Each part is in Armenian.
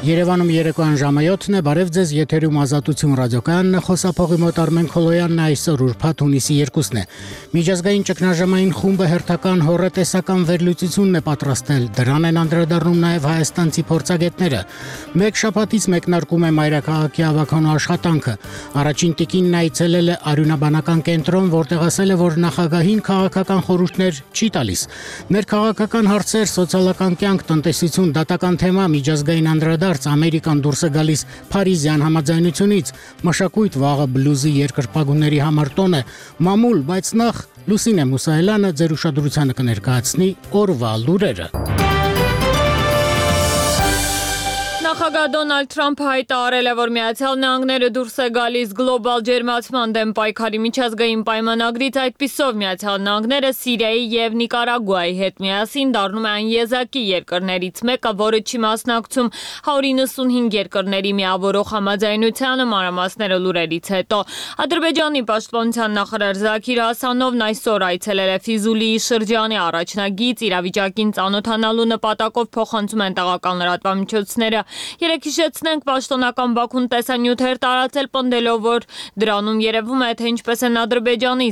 Երևանում երեկոյան ժամը 7-ն է, բարև ձեզ, եթերում Ազատություն ռադիոկայանն է, խոսափողի մոտ Արմեն Քոլոյանն է, այսօր ուրբաթ հունիսի 2-ն է։ Միջազգային ճգնաժամային խումբը հերթական հոռետեսական վերլուծությունն է պատրաստել, դրան են անդրադառնում նաև հայաստանցի փորձագետները։ Մեկ շաբաթից մեկնարկում է մայրաքաղաքի ավագանու աշխատանքը։ Առաջին տիկինն այցելել է արյունաբանական կենտրոն, որտեղ ասել է, որ նախագահին քաղաքական խորհուրդներ չի տալիս։ Ներքաղաքական հարցեր, սոցիալական կյանք, տնտեսություն, դատական թեմա, միջազգային անդրադարձ, Ամերիկան դուրս է գալիս Փարիզյան համաձայնությունից, մշակույթ վաղը բլյուզի երկրպագուների համար տոն է, մամուլ, բայց նախ Լուսինե Մուսայելյանը ձեր ուշադրությանը կներկայացնի օրվա լուրերը։ Նախագահ Դոնալդ Թրամփը հայտարարել է, որ Միացյալ Նահանգները դուրս է գալիս գլոբալ ջերմացման դեմ պայքարի միջազգային պայմանագրից, այդպիսով Միացյալ Նահանգները Սիրիայի եւ Նիկարագուայի հետ միասին դառնում է այն եզակի երկրներից մեկը, որը չի մասնակցում 195 երկրների միավորող համաձայնությանը, մանրամասները լուրերից հետո։ Ադրբեջանի պաշտպանության նախարար Զաքիր Հասանովն այսօր այցելել է Ֆիզուլիի շրջանի առաջնագիծ, իրավիճակին ծանոթանալու նպատակով փոխանցում են տեղական լրատվամիջոցները։ Երեք հիշեցնենք, պաշտոնական Բաքուն տեսանյութեր տարածել պնդելով, որ դրանում երևում է, թե ինչպես են Ադրբեջանի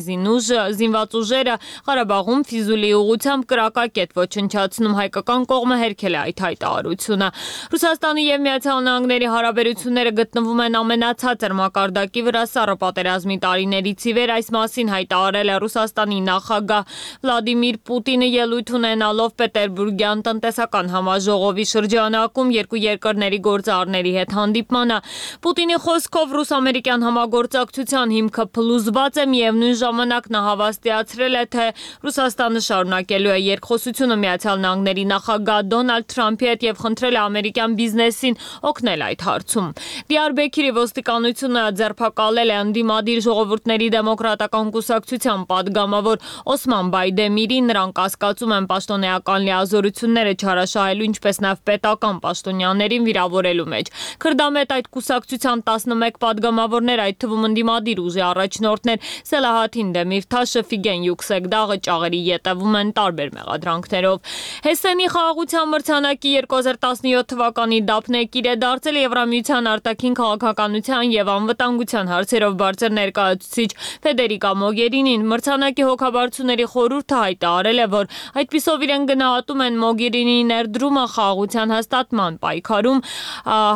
զինված ուժերը Ղարաբաղում Ֆիզուլիի ուղղությամբ կրակակետ ոչնչացնում, հայկական կողմը հերքել է այդ հայտարարությունը։ Ռուսաստանի եւ Միացյալ Նահանգների հարաբերությունները գտնվում են ամենացածր մակարդակի վրա սառը պատերազմի տարիներից ի վեր, այս մասին հայտարարել է Ռուսաստանի նախագահ Վլադիմիր Պուտինը ելույթ ունենալով Պետերբուրգյան տնտեսական համաժողովի շրջանակում երկու երկրների գործարարների հետ հանդիպմանը։ Պուտինի խոսքով ռուս-ամերիկյան համագործակցության հիմքը փլուզված է, միևնույն ժամանակ նա հավաստիացրել է, թե Ռուսաստանը շարունակելու է երկխոսությունը Միացյալ Նահանգների նախագահ Դոնալդ Թրամփի հետ եւ խնդրել է ամերիկյան բիզնեսին օգնել այդ հարցում։ Դիարբեքիրի ոստիկանությունը ձերբակալել է ընդդիմադիր ժողովուրդների դեմոկրատական կուսակցության падգամավոր Օսման Բայդեմիրին, նրանք կասկածում են պաշտոնեական լիազորությունները չարաշահելու, ինչպես նաև պետական պաշտոնյաներին վիրավորելու մեջ։ Քրդամետ այդ կուսակցության 11 падգամավորներ, այդ թվում ընդդիմադիր ուժի առաջնորդներ Սելահաթին Դեմիրթաշը, Ֆիգեն Յուքսեգդաղը ճաղերի ետևում են տարբեր մեղադրանքներով։ Հեսենի խաղաղության մրցանակի 2017 թվականի դափնեկիր է դարձել Եվրամիության արտաքին քաղաքականության եւ անվտանգության հարցերով բարձր ներկայացուցիչ Ֆեդերիկա Մոգերինին։ Մրցանակի հոգաբարձուների խորհուրդը հայտարարել է, որ այդպիսով իրեն գնահատում են Մոգերինիի ներդրումը խաղաղության հաստատման պայքարում,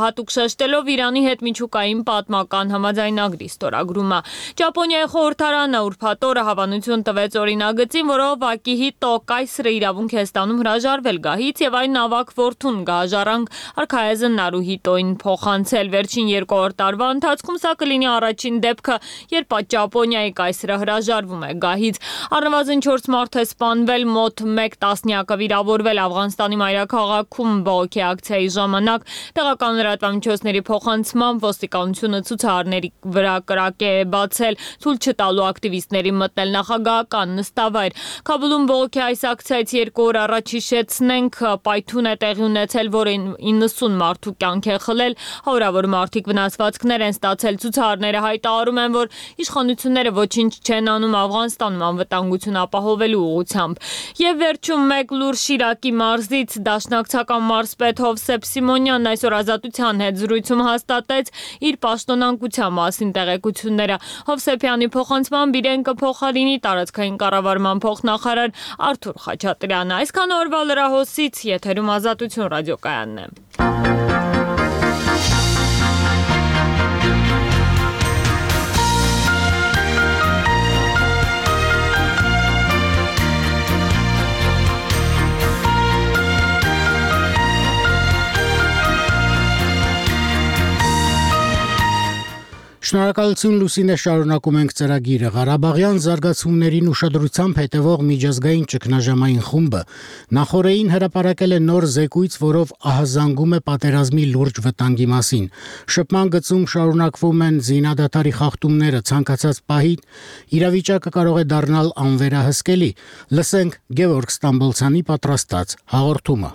հատուկ շեշտելով Իրանի հետ միջուկային պատմական համաձայնագրի ստորագրումը։ Ճապոնիայի խորհրդարանը ուրբաթ օրը հավանություն տվեց օրինագծին, որով Ակիհիտո կայսրը իրավունք է ստանում հրաժարվել գահից եւ այն ավագ որդուն գահաժառանգ արքայազն Նարուհիտոին փոխանցել։ Վերջին 2 տարվա ընթացքում սա կլինի առաջին դեպքը, երբ Ճապոնիայի կայսրը հրաժարվում է գահից։ Առնվազն 4 մարդ է սպանվել, մոտ 1 տասնյակը վիրավորվել Աֆղանստանի մայրաքաղաքում բողոքի ակցիայի ժամանակ։ Տեղական լրատվամիջոցների փոխանցմամբ ոստիկանությունը ցուցարարների վրա կրակ է բացել, ցույց չտալու ակտիվիստներին մտնել նախագահական նստավայր։ Քաբուլում բողոքի այս ակցիայից 2 օր առաջ հիշեցնենք, պայթուն է տեղի ունեցել, որը 90 մարդու կյանք է խլել, հարյուրավոր մարդիկ վնասվածքներ են ստացել։ Ցուցարարները հայտարարում են, որ իշխանությունները ոչինչ չեն անում Աֆղանստանում անվտանգություն ապահովելու ուղղությամբ։ Եվ վերջում մեկ լուր Շիրակի մարզից դաշնակցական մարզպետ Հովսեփ Սիմոնյանն այսօր Ազատության հետ զրույցում հաստատեց իր պաշտոնանկության մասին տեղեկությունները։ Հովսեփյանի փոխանցմամբ իրեն կփոխարինի տարածքային կառավարման փոխնախարար Արթուր Խաչատրյանը։ Այսքան օրվա լրահոսից եթերում Ազատություն ռադիոկայանն է։ Շնորհակալություն Լուսինե, շարունակում ենք ծրագիրը։ Ղարաբաղյան զարգացումներին ուշադրությամբ հետևող միջազգային ճգնաժամային խումբը նախորդին հրապարակել է նոր զեկույց, որով ահազանգում է պատերազմի լուրջ վտանգի մասին։ Շփման գծում շարունակվում են զինադատարի խախտումները, ցանկացած պահի իրավիճակը կարող է դառնալ անվերահսկելի։ Լսենք Գևորգ Ստամբոլցյանի պատրաստած հաղորդումը։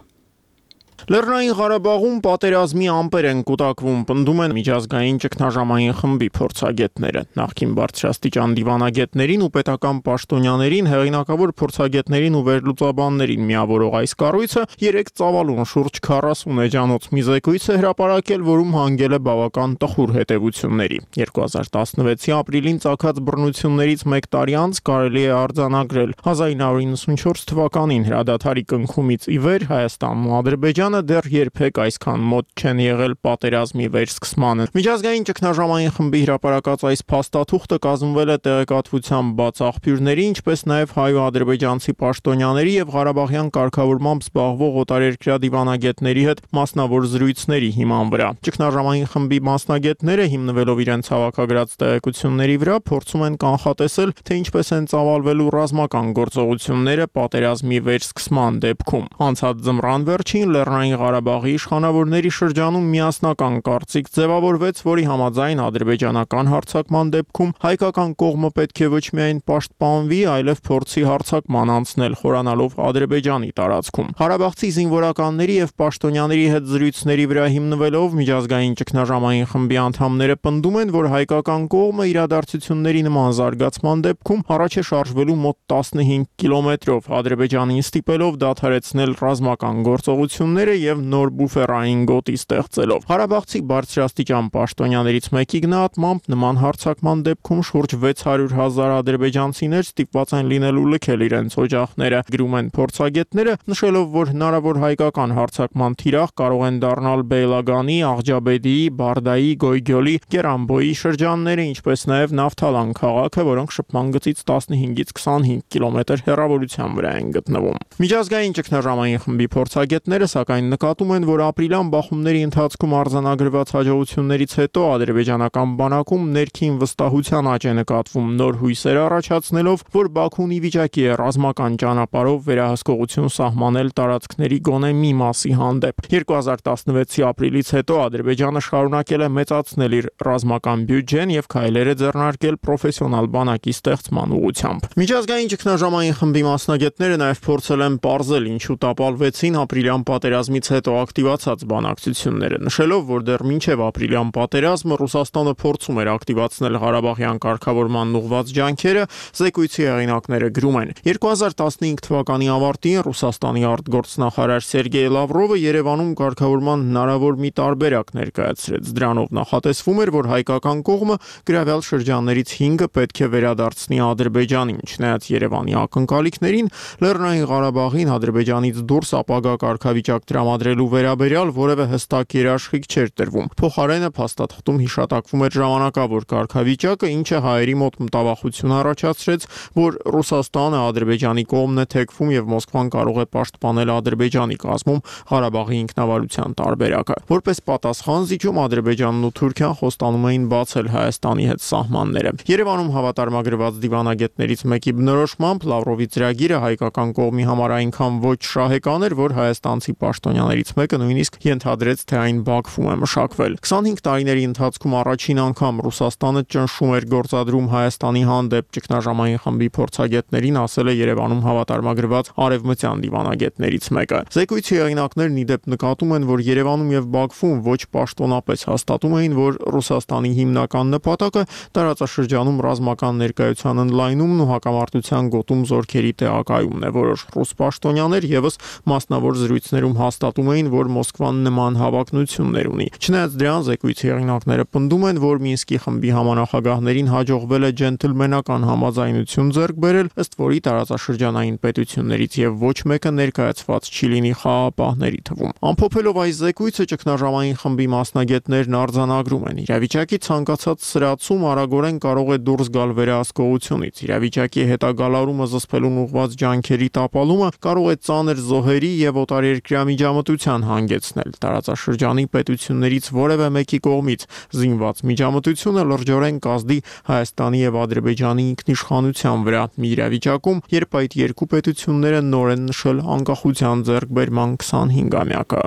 Լեռնային Ղարաբաղում պատերազմի ամպեր են կուտակվում, պնդում են միջազգային ճգնաժամային խմբի փորձագետները։ Նախկին բարձրաստիճան դիվանագետներին ու պետական պաշտոնյաներին, հեղինակավոր փորձագետներին ու վերլուծաբաններին միավորող այս կառույցը 3 ծավալուն շուրջ 40 էջանոց մի զեկույց է հրապարակել, որում հանգել է բավական տխուր հետևությունների։ 2016-ի ապրիլին ծագած բռնություններից 1 տարի անց կարելի է արձանագրել 1994 թվականին հրադադարի կնքումից ի վեր Հայաստանն ու Ադրբեջանը դեռ երբեք այսքան մոտ չեն եղել պատերազմի վերսկսմանը։ Միջազգային ճգնաժամային խմբի հրապարակած այս փաստաթուղթը կազմվել է տեղեկատվության բաց աղբյուրների, ինչպես նաև հայ ու ադրբեջանցի պաշտոնյաների եւ Ղարաբաղյան կարգավորմամբ զբաղվող օտարերկրյա դիվանագետների հետ մասնավոր զրույցների հիման վրա։ Ճգնաժամային խմբի մասնագետները, հիմնվելով իրենց հավաքագրած տեղեկությունների վրա, փորձում են կանխատեսել, թե ինչպես են ծավալվելու ռազմական գործողությունները պատերազմի վերսկսման դեպքում։ Անցած ձմռան վերջին Լեռնային Ղարաբաղի իշխանավորների շրջանում միասնական կարծիք ձևավորվեց, որի համաձայն ադրբեջանական հարձակման դեպքում հայկական կողմը պետք է ոչ միայն պաշտպանվի, այլև փորձի հարձակման անցնել, խորանալով Ադրբեջանի տարածքում։ Ղարաբաղցի զինվորականների եւ պաշտոնյաների հետ զրույցների վրա հիմնվելով միջազգային ճգնաժամային խմբի անդամները պնդում են, որ հայկական կողմը իրադարձությունների նման զարգացման դեպքում առաջ է շարժվելու մոտ 15 կիլոմետրով, Ադրբեջանին ստիպելով դադարեցնել ռազմական գործողությունները եւ նոր բուֆերային գոտի ստեղծելով։ Ղարաբաղցի բարձրաստիճան պաշտոնյաներից մեկի գնահատմամբ նման հարձակման դեպքում շուրջ 600,000 ադրբեջանցիներ ստիպված են լինելու լքել իրենց օջախները, գրում են փորձագետները, նշելով, որ հնարավոր հայկական հարձակման թիրախ կարող են դառնալ Բեյլագանի, Աղջաբեդիի, Բարդայի, Գոյգյոլի, Գերանբոյի շրջանները, ինչպես նաև Նավթալան քաղաքը, որոնք շփման գծից 15-ից 25 կիլոմետր հեռավորության վրա են գտնվում։ Միջազգային ճգնաժամային խմբի փորձագետները սակայն նկատում են, որ ապրիլյան բախումների ընթացքում արձանագրված հաջողություններից հետո ադրբեջանական բանակում ներքին վստահության աճ է նկատվում, նոր հույսեր առաջացնելով, որ Բաքուն ի վիճակի է ռազմական ճանապարհով վերահսկողություն սահմանել տարածքների գոնե մի մասի հանդեպ։ 2016-ի ապրիլից հետո Ադրբեջանը շարունակել է մեծացնել իր ռազմական բյուջեն եւ քայլեր է ձեռնարկել պրոֆեսիոնալ բանակի ստեղծման ուղղությամբ։ Միջազգային ճգնաժամային խմբի մասնագետները նաև փորձել են պարզել, ինչու տապալվեցին ապրիլյան պատերազմից հետո ակտիվացած բանակցությունները, նշելով, որ դեռ մինչև ապրիլյան պատերազմը Ռուսաստանը փորձում էր ակտիվացնել Ղարաբաղյան կարգավորման ուղղված ջանքերը, զեկույցի հեղինակները գրում են. 2015 թվականի ավարտին Ռուսաստանի արտգործնախարար Սերգեյ Լավրովը Երևանում կարգավորման հնարավոր մի տարբերակ ներկայացրեց։ Դրանով նախատեսվում էր, որ հայկական կողմը գրավյալ շրջաններից 5-ը պետք է վերադարձնի Ադրբեջանին, չնայած Երևանի ակնկալիքներին Լեռնային Ղարաբաղին Ադրբեջանից դուրս ապագա կարգավիճակ տրամադրելու վերաբերյալ որևէ հստակ երաշխիք չէր տրվում։ Փոխարենը փաստաթղթում հիշատակվում էր ժամանակավոր կարգավիճակը, ինչը հայերի մոտ մտավախություն առաջացրեց, որ Ռուսաստանը Ադրբեջանի կողմն է թեքվում եւ Մոսկվան կարող է պաշտպանել Ադրբեջանի կազմում Ղարաբաղի ինքնավարության տարբերակը։ Որպես պատասխան զիջում Ադրբեջանն ու Թուրքիան խոստանում էին բացել Հայաստանի հետ սահմանները։ Երևանում հավատարմագրված դիվանագետներից մեկի բնորոշմամբ Լավրովի ծրագիրը հայկական կողմի համար այնքան ոչ շահեկան էր, որ հայաստանցի պաշտոնյաներից մեկը նույնիսկ ենթադրեց, թե այն Բաքվում է մշակվել։ 25 տարիների ընթացքում առաջին անգամ Ռուսաստանը ճնշում էր գործադրում Հայաստանի հանդեպ, ճգնաժամային խմբի փորձագետներին ասել է Երևանում հավատարմագրված արևմտյան դիվանագետներից մեկը։ Զեկույցի հեղինակներն ի դեպ նկատում են, որ Երևանում եւ Բաքվում ոչ պաշտոնապես հաստատում էին, որ Ռուսաստանի հիմնական նպատակը տարածաշրջանում ռազմական ներկայության ընդլայնումն ու հակամարտության գոտում զորքերի տեղակայումն է։ Որոշ ռուս պաշտոնյաներ եւս մասնավոր զրույցներում հաստատում էին, որ Մոսկվան նման հավակնություններ ունի։ Չնայած դրան, զեկույցի հեղինակները պնդում են, որ Մինսկի խմբի համանախագահներին հաջողվել է ջենտլմենական համաձայնություն ձեռք բերել, ըստ որի տարածաշրջանային պետություններից եւ ոչ մեկը ներկայացված չի լինի խաղաղապահների թվում։ Ամփոփելով այս զեկույցը, ճգնաժամային խմբի մասնագետներն արձանագրում են. իրավիճակի ցանկացած սրացում արագորեն կարող է դուրս գալ վերահսկողությունից։ Իրավիճակի հետագալարումը զսպելուն ուղղված ջանքերի տապալումը կարող է ծանր զոհերի եւ օտարերկրյա միջամտության հանգեցնել։ Տարածաշրջանի պետություններից որևէ մեկի կողմից զինված միջամտությունը լրջորեն կազդի Հայաստանի եւ Ադրբեջանի ինքնիշխանության վրա։ Մի իրավիճակում, երբ այդ երկու պետությունները նոր են նշել անկախության ձեռքբերման 25-ամյակը։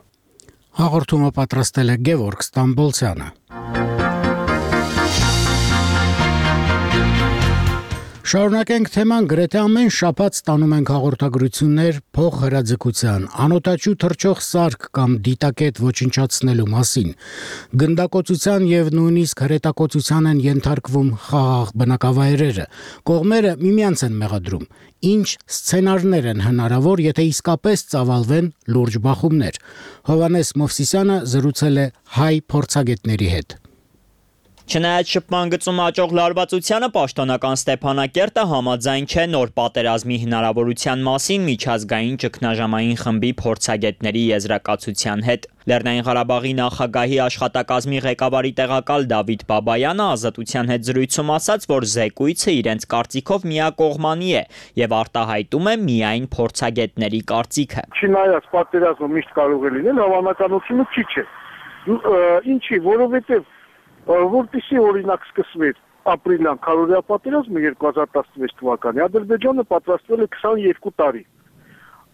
Հաղորդումը պատրաստել է Գևորգ Ստամբոլցյանը։ Շարունակենք թեման, գրեթե ամեն շաբաթ ստանում ենք հաղորդագրություններ փոխհրաձգության, անօդաչու թռչող սարք կամ դիտակետ ոչնչացնելու մասին։ Գնդակոծության եւ նույնիսկ հրետակոծության են ենթարկվում խաղաղ բնակավայրերը։ Կողմերը միմյանց են մեղադրում։ Ինչ սցենարներ են հնարավոր, եթե իսկապես ծավալվեն լուրջ բախումներ։ Հովհաննես Մովսիսյանը զրուցել է հայ փորձագետների հետ։ Չնայած շփման գծում աճող լարվածությանը, պաշտոնական Ստեփանակերտը համաձայն չէ նոր պատերազմի հնարավորության մասին միջազգային ճգնաժամային խմբի փորձագետների եզրակացության հետ։ Լեռնային Ղարաբաղի նախագահի աշխատակազմի ղեկավարի տեղակալ Դավիթ Բաբայանը Ազատության հետ զրույցում ասաց, որ զեկույցը իրենց կարծիքով միակողմանի է եւ արտահայտում է միայն փորձագետների կարծիքը։ Չնայած պատերազմը միշտ կարող է լինել, հավանականությունը քիչ է։ Ինչի, որովհետեւ որպեսզի օրինակ սկսվեր ապրիլյան քարորիա պատերազմը 2016 թվականի, Ադրբեջանը պատրաստվել է 22 տարի։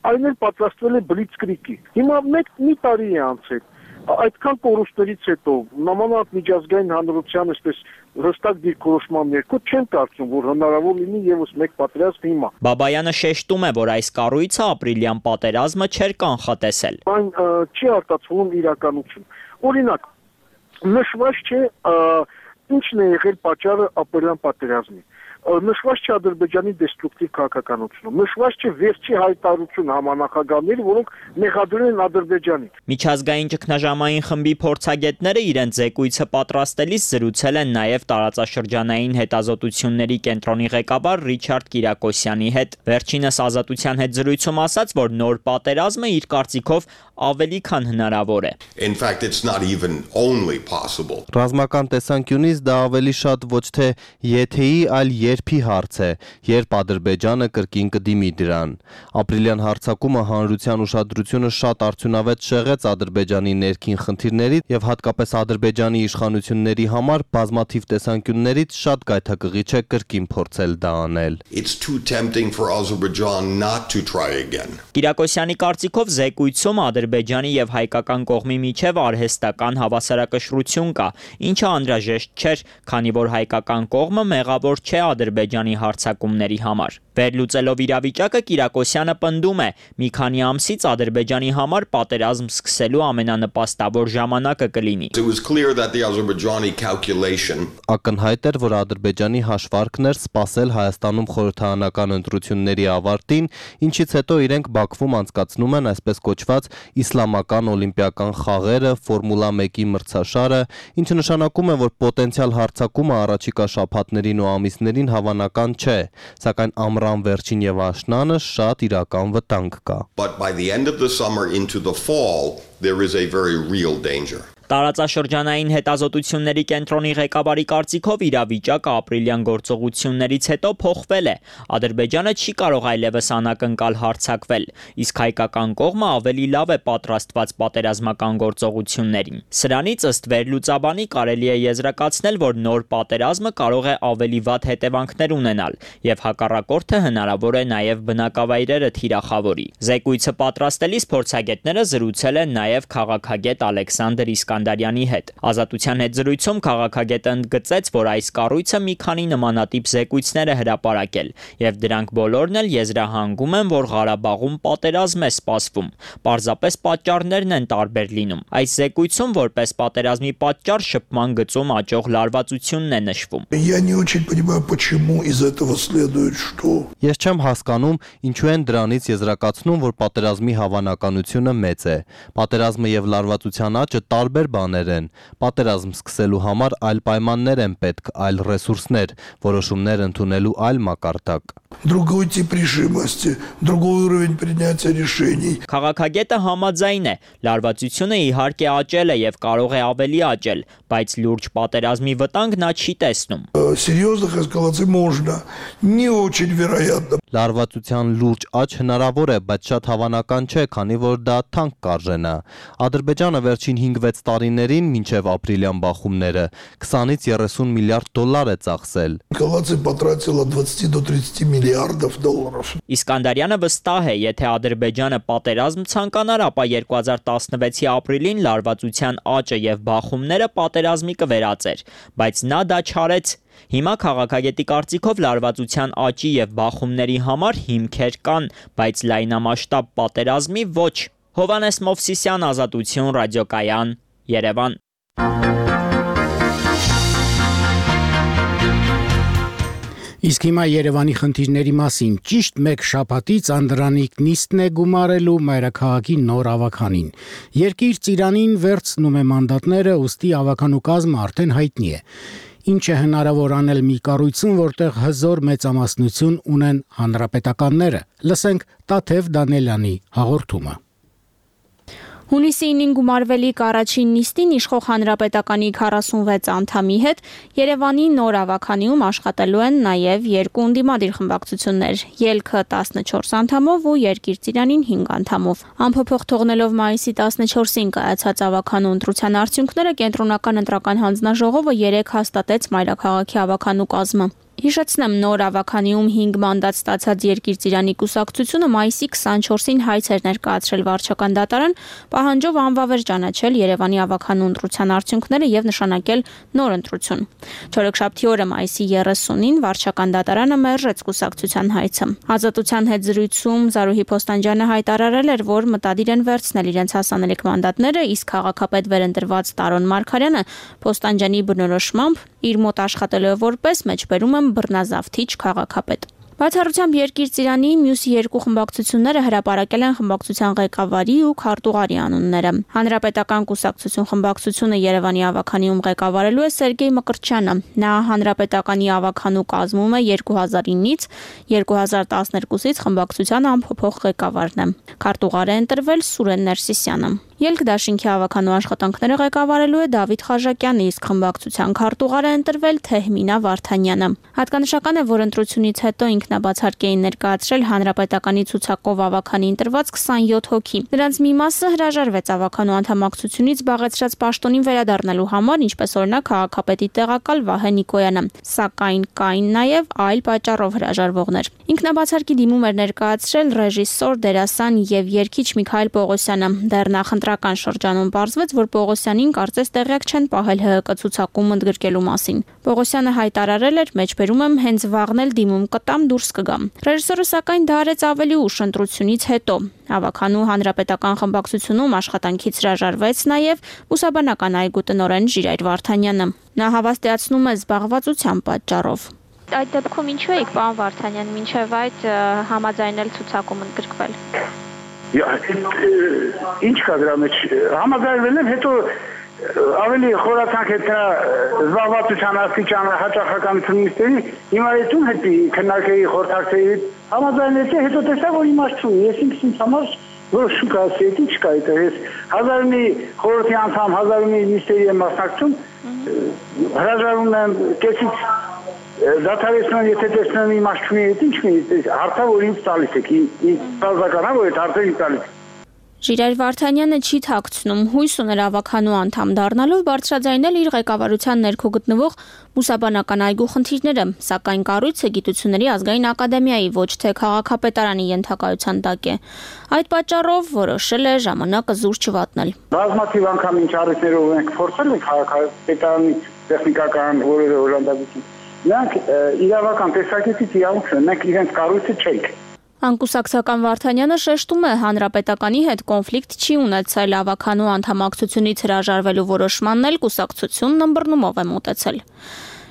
Այն էլ պատրաստվել է բլիցկրիգի։ Հիմա մի տարի է անցել։ Այդքան կորուստներից հետո նամանավանդ միջազգային հանրության այսպես հստակ դիրքորոշման ներքո չեն կարծում, որ հնարավոր լինի եւս մեկ պատերազմ հիմա։ Բաբայանը շեշտում է, որ այս կառույցը ապրիլյան պատերազմը չէր կանխատեսել։ Այն չի արտացվում իրականություն։ Օրինակ նշված չէ ինչն է եղել պատճառը ապրիլյան պատերազմի։ Նշված չէ Ադրբեջանի դեստրուկտիվ քաղաքականությունը։ Նշված չէ վերջի հայտարարություն համանախագահների, որոնք մեղադրել են Ադրբեջանին։ Միջազգային ճգնաժամային խմբի փորձագետները իրենց զեկույցը պատրաստելիս զրուցել են նաև տարածաշրջանային հետազոտությունների կենտրոնի ղեկավար Ռիչարդ Կիրակոսյանի հետ։ Վերջինս Ազատության հետ զրույցում ասաց, որ նոր պատերազմը իր կարծիքով ավելի քան հնարավոր է։ In fact, it's not even only possible. Ռազմական տեսանկյունից դա ավելի շատ ոչ թե եթեի, այլ երբի հարց է, երբ Ադրբեջանը կրկին կդիմի դրան։ Ապրիլյան հարձակումը հանրության ուշադրությունը շատ արդյունավետ շեղեց Ադրբեջանի ներքին խնդիրների եւ հատկապես Ադրբեջանի իշխանությունների համար բազմաթիվ տեսանկյուններից շատ գայթակղիչ է կրկին փորձել դա անել։ It's too tempting for Azerbaijan not to try again. Կիրակոսյանի կարծիքով զեկույցում Ադրբեջանի եւ հայկական կողմի միջև արհեստական հավասարակշռություն կա, ինչը անհրաժեշտ չէր, քանի որ հայկական կողմը մեղավոր չէ Ադրբեջանի հարձակումների համար։ Վերլուծելով իրավիճակը Կիրակոսյանը պնդում է, մի քանի ամսից Ադրբեջանի համար պատերազմ սկսելու ամենանպաստավոր ժամանակը կլինի։ It was clear that the Azerbaijani calculation Ակնհայտ էր, որ Ադրբեջանի հաշվարկն էր սպասել Հայաստանում խորհրդարանական ընտրությունների ավարտին, ինչից հետո իրենք Բաքվում անցկացնում են այսպես կոչված իսլամական օլիմպիական խաղերը, Ֆորմուլա 1-ի մրցաշարը, ինչը նշանակում է, որ պոտենցիալ հարձակումը առաջիկա շաբաթներին ու ամիսներին հավանական չէ, սակայն ամռան վերջին եւ աշնանը շատ իրական վտանգ կա։ but by the end of the summer into the fall there is a very real danger. Տարածաշրջանային հետազոտությունների կենտրոնի ղեկավարի կարծիքով իրավիճակը ապրիլյան գործողություններից հետո փոխվել է։ Ադրբեջանը չի կարող այլևս անակնկալ հարձակվել, իսկ հայկական կողմը ավելի լավ է պատրաստված պատերազմական գործողություններին։ Սրանից ըստ վերլուծաբանի կարելի է եզրակացնել, որ նոր պատերազմը կարող է ավելի վատ հետևանքներ ունենալ, եւ հակառակորդը հնարավոր է նաեւ բնակավայրերը թիրախավորի։ Զեկույցը պատրաստելիս փորձագետները զրուցել են նաեւ քաղաքագետ Ալեքսանդր Իսկանդարյանի հետ։ Ազատության հետ զրույցում քաղաքագետը ընդգծեց, որ այս կառույցը մի քանի նմանատիպ զեկույցներ է հրապարակել, եւ դրանք բոլորն էլ եզրահանգում են, որ Ղարաբաղում պատերազմ է սպասվում։ Պարզապես պատճառներն են տարբեր լինում։ Այս զեկույցում որպես պատերազմի պատճառ շփման գծում աճող լարվածությունն է նշվում։ Я не очень понимаю, почему из этого следует что. Ես չեմ հասկանում, ինչու են դրանից եզրակացնում, որ պատերազմի հավանականությունը մեծ է։ Պատերազմը եւ լարվածության աճը տարբեր բաներ են։ Պատերազմ սկսելու համար այլ պայմաններ են պետք, այլ ռեսուրսներ, որոշումներ ընդունելու այլ մակարդակ։ Другой тип решимости, другой уровень принятия решений. Քաղաքագետը համաձայն է, լարվածությունը իհարկե աճել է եւ կարող է ավելի աճել, բայց լուրջ պատերազմի վտանգ նա չի տեսնում։ Серьезных эскалаций можно, не очень вероятно. Լարվածության լուրջ աճ հնարավոր է, բայց շատ հավանական չէ, քանի որ դա թանկ կարժենա։ Ադրբեջանը վերջին 5-6 տարիներին մինչև ապրիլյան բախումները 20-ից 30 միլիարդ դոլար է ծախսել։ Эскалация потратила от 20 до 30 миллиардов. миллиардов долларов. Իսկանդարյանը վստահ է, եթե Ադրբեջանը պատերազմ ցանկանար, ապա 2016-ի ապրիլին լարվածության աճը եւ բախումները պատերազմի կվերածեր, բայց նա դա չարեց։ Հիմա քաղաքագետի կարծիքով լարվածության աճի եւ բախումների համար հիմքեր կան, բայց լայնամասշտաբ պատերազմի ոչ։ Հովանես Մովսիսյան, Ազատություն, ռադիոկայան, Երևան։ Իսկ հիմա Երևանի խնդիրների մասին ճիշտ մեկ շաբաթից Անդրանիկ նիստն է գումարելու մայրաքաղաքի նոր ավականին։ Երկիր Ծիրանին վերցնում է մանդատները, ուստի ավականու կազմը արդեն հայտնի է։ Ինչ է հնարավոր անել մի կառույցում, որտեղ հզոր մեծամասնություն ունեն հանրապետականները։ Լսենք Տաթև Դանելյանի հաղորդումը։ Հունիսի 9-ին գումարվելիք առաջին նիստին իշխող հանրապետականի 46 անդամի հետ Երևանի նոր ավականիում աշխատելու են նաև երկու ընդդիմադիր խմբակցություններ՝ Ելքը 14 անդամով ու Երկիր Ծիրանին 5 անդամով։ Անփոփոխ թողնելով մայիսի 14-ին կայացած ավականու ընտրության արդյունքները կենտրոնական ընտրական հանձնաժողովը 3 հաստատեց մայրաքաղաքի ավականու կազմը։ Հիշեցնեմ, նոր ավականիում 5 մանդատ ստացած Երկիր Ծիրանի կուսակցությունը մայիսի 24-ին հայց էր ներկայացրել վարչական դատարան, պահանջով անվավեր ճանաչել Երևանի ավականու ընտրության արդյունքները եւ նշանակել նոր ընտրություն։ Չորեքշաբթի օրը մայիսի 30-ին վարչական դատարանը մերժեց կուսակցության հայցը։ Ազատության հետ զրույցում Զարուհի Փոստանջյանը հայտարարել էր, որ մտադիր են վերցնել իրենց հասանելիք մանդատները, իսկ քաղաքապետ վերընտրված Տարոն Մարգարյանը Փոստանջյանի բնորոշմամբ իր մոտ աշխատելու է որպես մեջբերում բռնազավթիչ քաղաքապետ։ Բացառությամբ Երկիր Ծիրանի մյուս երկու խմբակցությունները հրապարակել են խմբակցության ղեկավարի ու քարտուղարի անունները։ Հանրապետական կուսակցություն խմբակցությունը Երևանի ավականիում ղեկավարելու է Սերգեյ Մկրտչյանը։ Նա հանրապետականի ավականու կազմում է 2009-ից 2012-ից խմբակցության անփոփոխ ղեկավարն է։ Քարտուղար է ընտրվել Սուրեն Ներսիսյանը։ Ելք դաշինքի ավականու աշխատանքները ղեկավարելու է Դավիթ Խաժակյանը, իսկ խմբակցության քարտուղար է ընտրվել Թեհմինա Վարդանյանը։ Հատկանշական է, որ ընտրությունից հետո ինքնաբացարկ էին ներկայացրել հանրապետականի ցուցակով ավականի ընտրված 27 հոգի։ Նրանց մի մասը հրաժարվեց ավականու անդամակցությունից զբաղեցրած պաշտոնին վերադառնալու համար, ինչպես օրինակ քաղաքապետի տեղակալ Վահե Նիկոյանը, սակայն կային նաև այլ պատճառով հրաժարվողներ։ Ինքնաբացարկի դիմում էր ներկայացրել ռեժիսոր, դերասան եւ երգիչ Միքայել Պողոսյանը։ Դեռ նախընտրական շրջանում պարզվեց, որ Պողոսյանին կարծես տեղյակ չեն պահել ՀՀԿ ցուցակում ընդգրկելու մասին։ Պողոսյանը հայտարարել էր, մեջբերում եմ հենց վաղն էլ դիմում կտամ, դուրս կգամ։ Ռեժիսորը սակայն դա արեց ավելի ուշ ընտրությունից հետո։ Ավականու հանրապետական խմբակցությունում աշխատանքից հրաժարվեց նաև բուսաբանական այգու տնօրեն Ժիրայր Վարդանյանը։ Նա հավաստիացնում է զբաղվածության պատճառով։ Այդ դեպքում ինչու եք, պարոն Վարդանյան, մինչև այդ համաձայնել ցուցակում ընդգրկվել։ Ինչ կա դրա մեջ, համաձայնվել եմ, հետո ավելի խորացանք հետ նրա զբաղվածության աստիճանը հաճախականություն նիստերի, հիմա հետում հետի քննարկեի խորհրդակցեի հետ համաձայնեցի, հետո տեսա, որ իմաստ չունի, ես ինքս համար որոշում կայացրի, ինչ կա այդտեղ, ես 1000-ի խորհրդի անդամ, 1000-ի նիստերի եմ մասնակցում, հրաժարվում եմ կեսից դադարեցնում, եթե տեսնում եմ իմաստ չունի, ինչ մի հարցը, որ ինձ տալիս եք, ինձ բազականա, որ այդ հարցը ինձ տալիս։ Ժիրայր Վարդանյանը չի թաքցնում, հույս ուներ ավականու անդամ դառնալով բարձրաձայնել իր ղեկավարության ներքո գտնվող բուսաբանական այգու խնդիրները, սակայն կառույցը Գիտությունների ազգային ակադեմիայի ոչ թե քաղաքապետարանի ենթակայության տակ է։ Այդ պատճառով որոշել է ժամանակը զուր չվատնել։ Բազմաթիվ անգամ ինչ առիթներով ենք փորձել ենք քաղաքապետարանի տեխնիկական որևէ օժանդակություն։ Նրանք իրավական տեսակետից իրավունք ունեն, մենք իրենց կառույցը չենք։ Անկուսակցական Վարդանյանը շեշտում է, հանրապետականի հետ կոնֆլիկտ չի ունեցել, ավականու անդամակցությունից հրաժարվելու որոշմանն էլ կուսակցությունն ըմբռնումով է մոտեցել։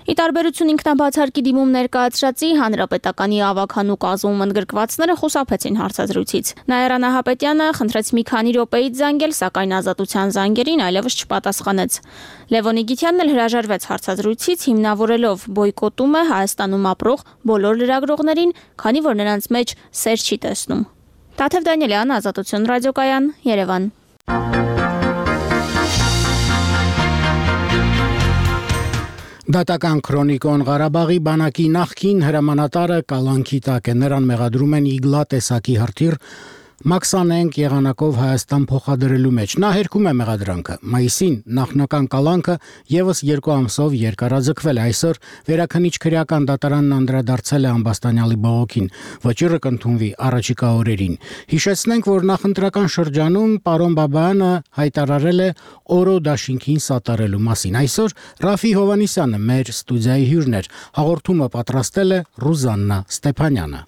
Ի տարբերություն ինքնաբացարկի դիմում ներկայացրածի, հանրապետականի ավականու կազմում ընդգրկվածները խուսափեցին հարցազրույցից։ Նաիրա Նահապետյանը խնդրեց մի քանի րոպեից զանգել, սակայն ազատության զանգերին այլևս չպատասխանեց։ Լևոն Իգիթյանն էլ հրաժարվեց հարցազրույցից, հիմնավորելով բոյկոտում է Հայաստանում ապրող բոլոր լրագրողներին, քանի որ նրանց մեջ սեր չի տեսնում։ Տաթև Դանելյան, Ազատություն, ռադիոկայան, Երևան։ Դատական քրոնիկոն Ղարաբաղի բանակի նախկին հրամանատարը կալանքի տակ է, նրան մեղադրում են իգլա տեսակի հրթիռ Մաքսանենք եղանակով Հայաստան փոխադրելու մեջ։ Նա հերքում է մեղադրանքը։ Մայիսին նախնական կալանքը եւս 2 ամսով երկարաձգվել է։ Այսօր վերաքննիչ քրեական դատարանն անդրադարձել է Ամբաստանյալի բողոքին։ Վճիռը կընդունվի առաջիկա օրերին։ Հիշեցնենք, որ նախընտրական շրջանում պարոն Բաբայանը հայտարարել է օրո դաշինքին սատարելու մասին։ Այսօր Ռաֆի Հովանիսյանը մեր ստուդիայի հյուրն էր։ Հաղորդումը պատրաստել է Ռուզաննա Ստեփանյանը։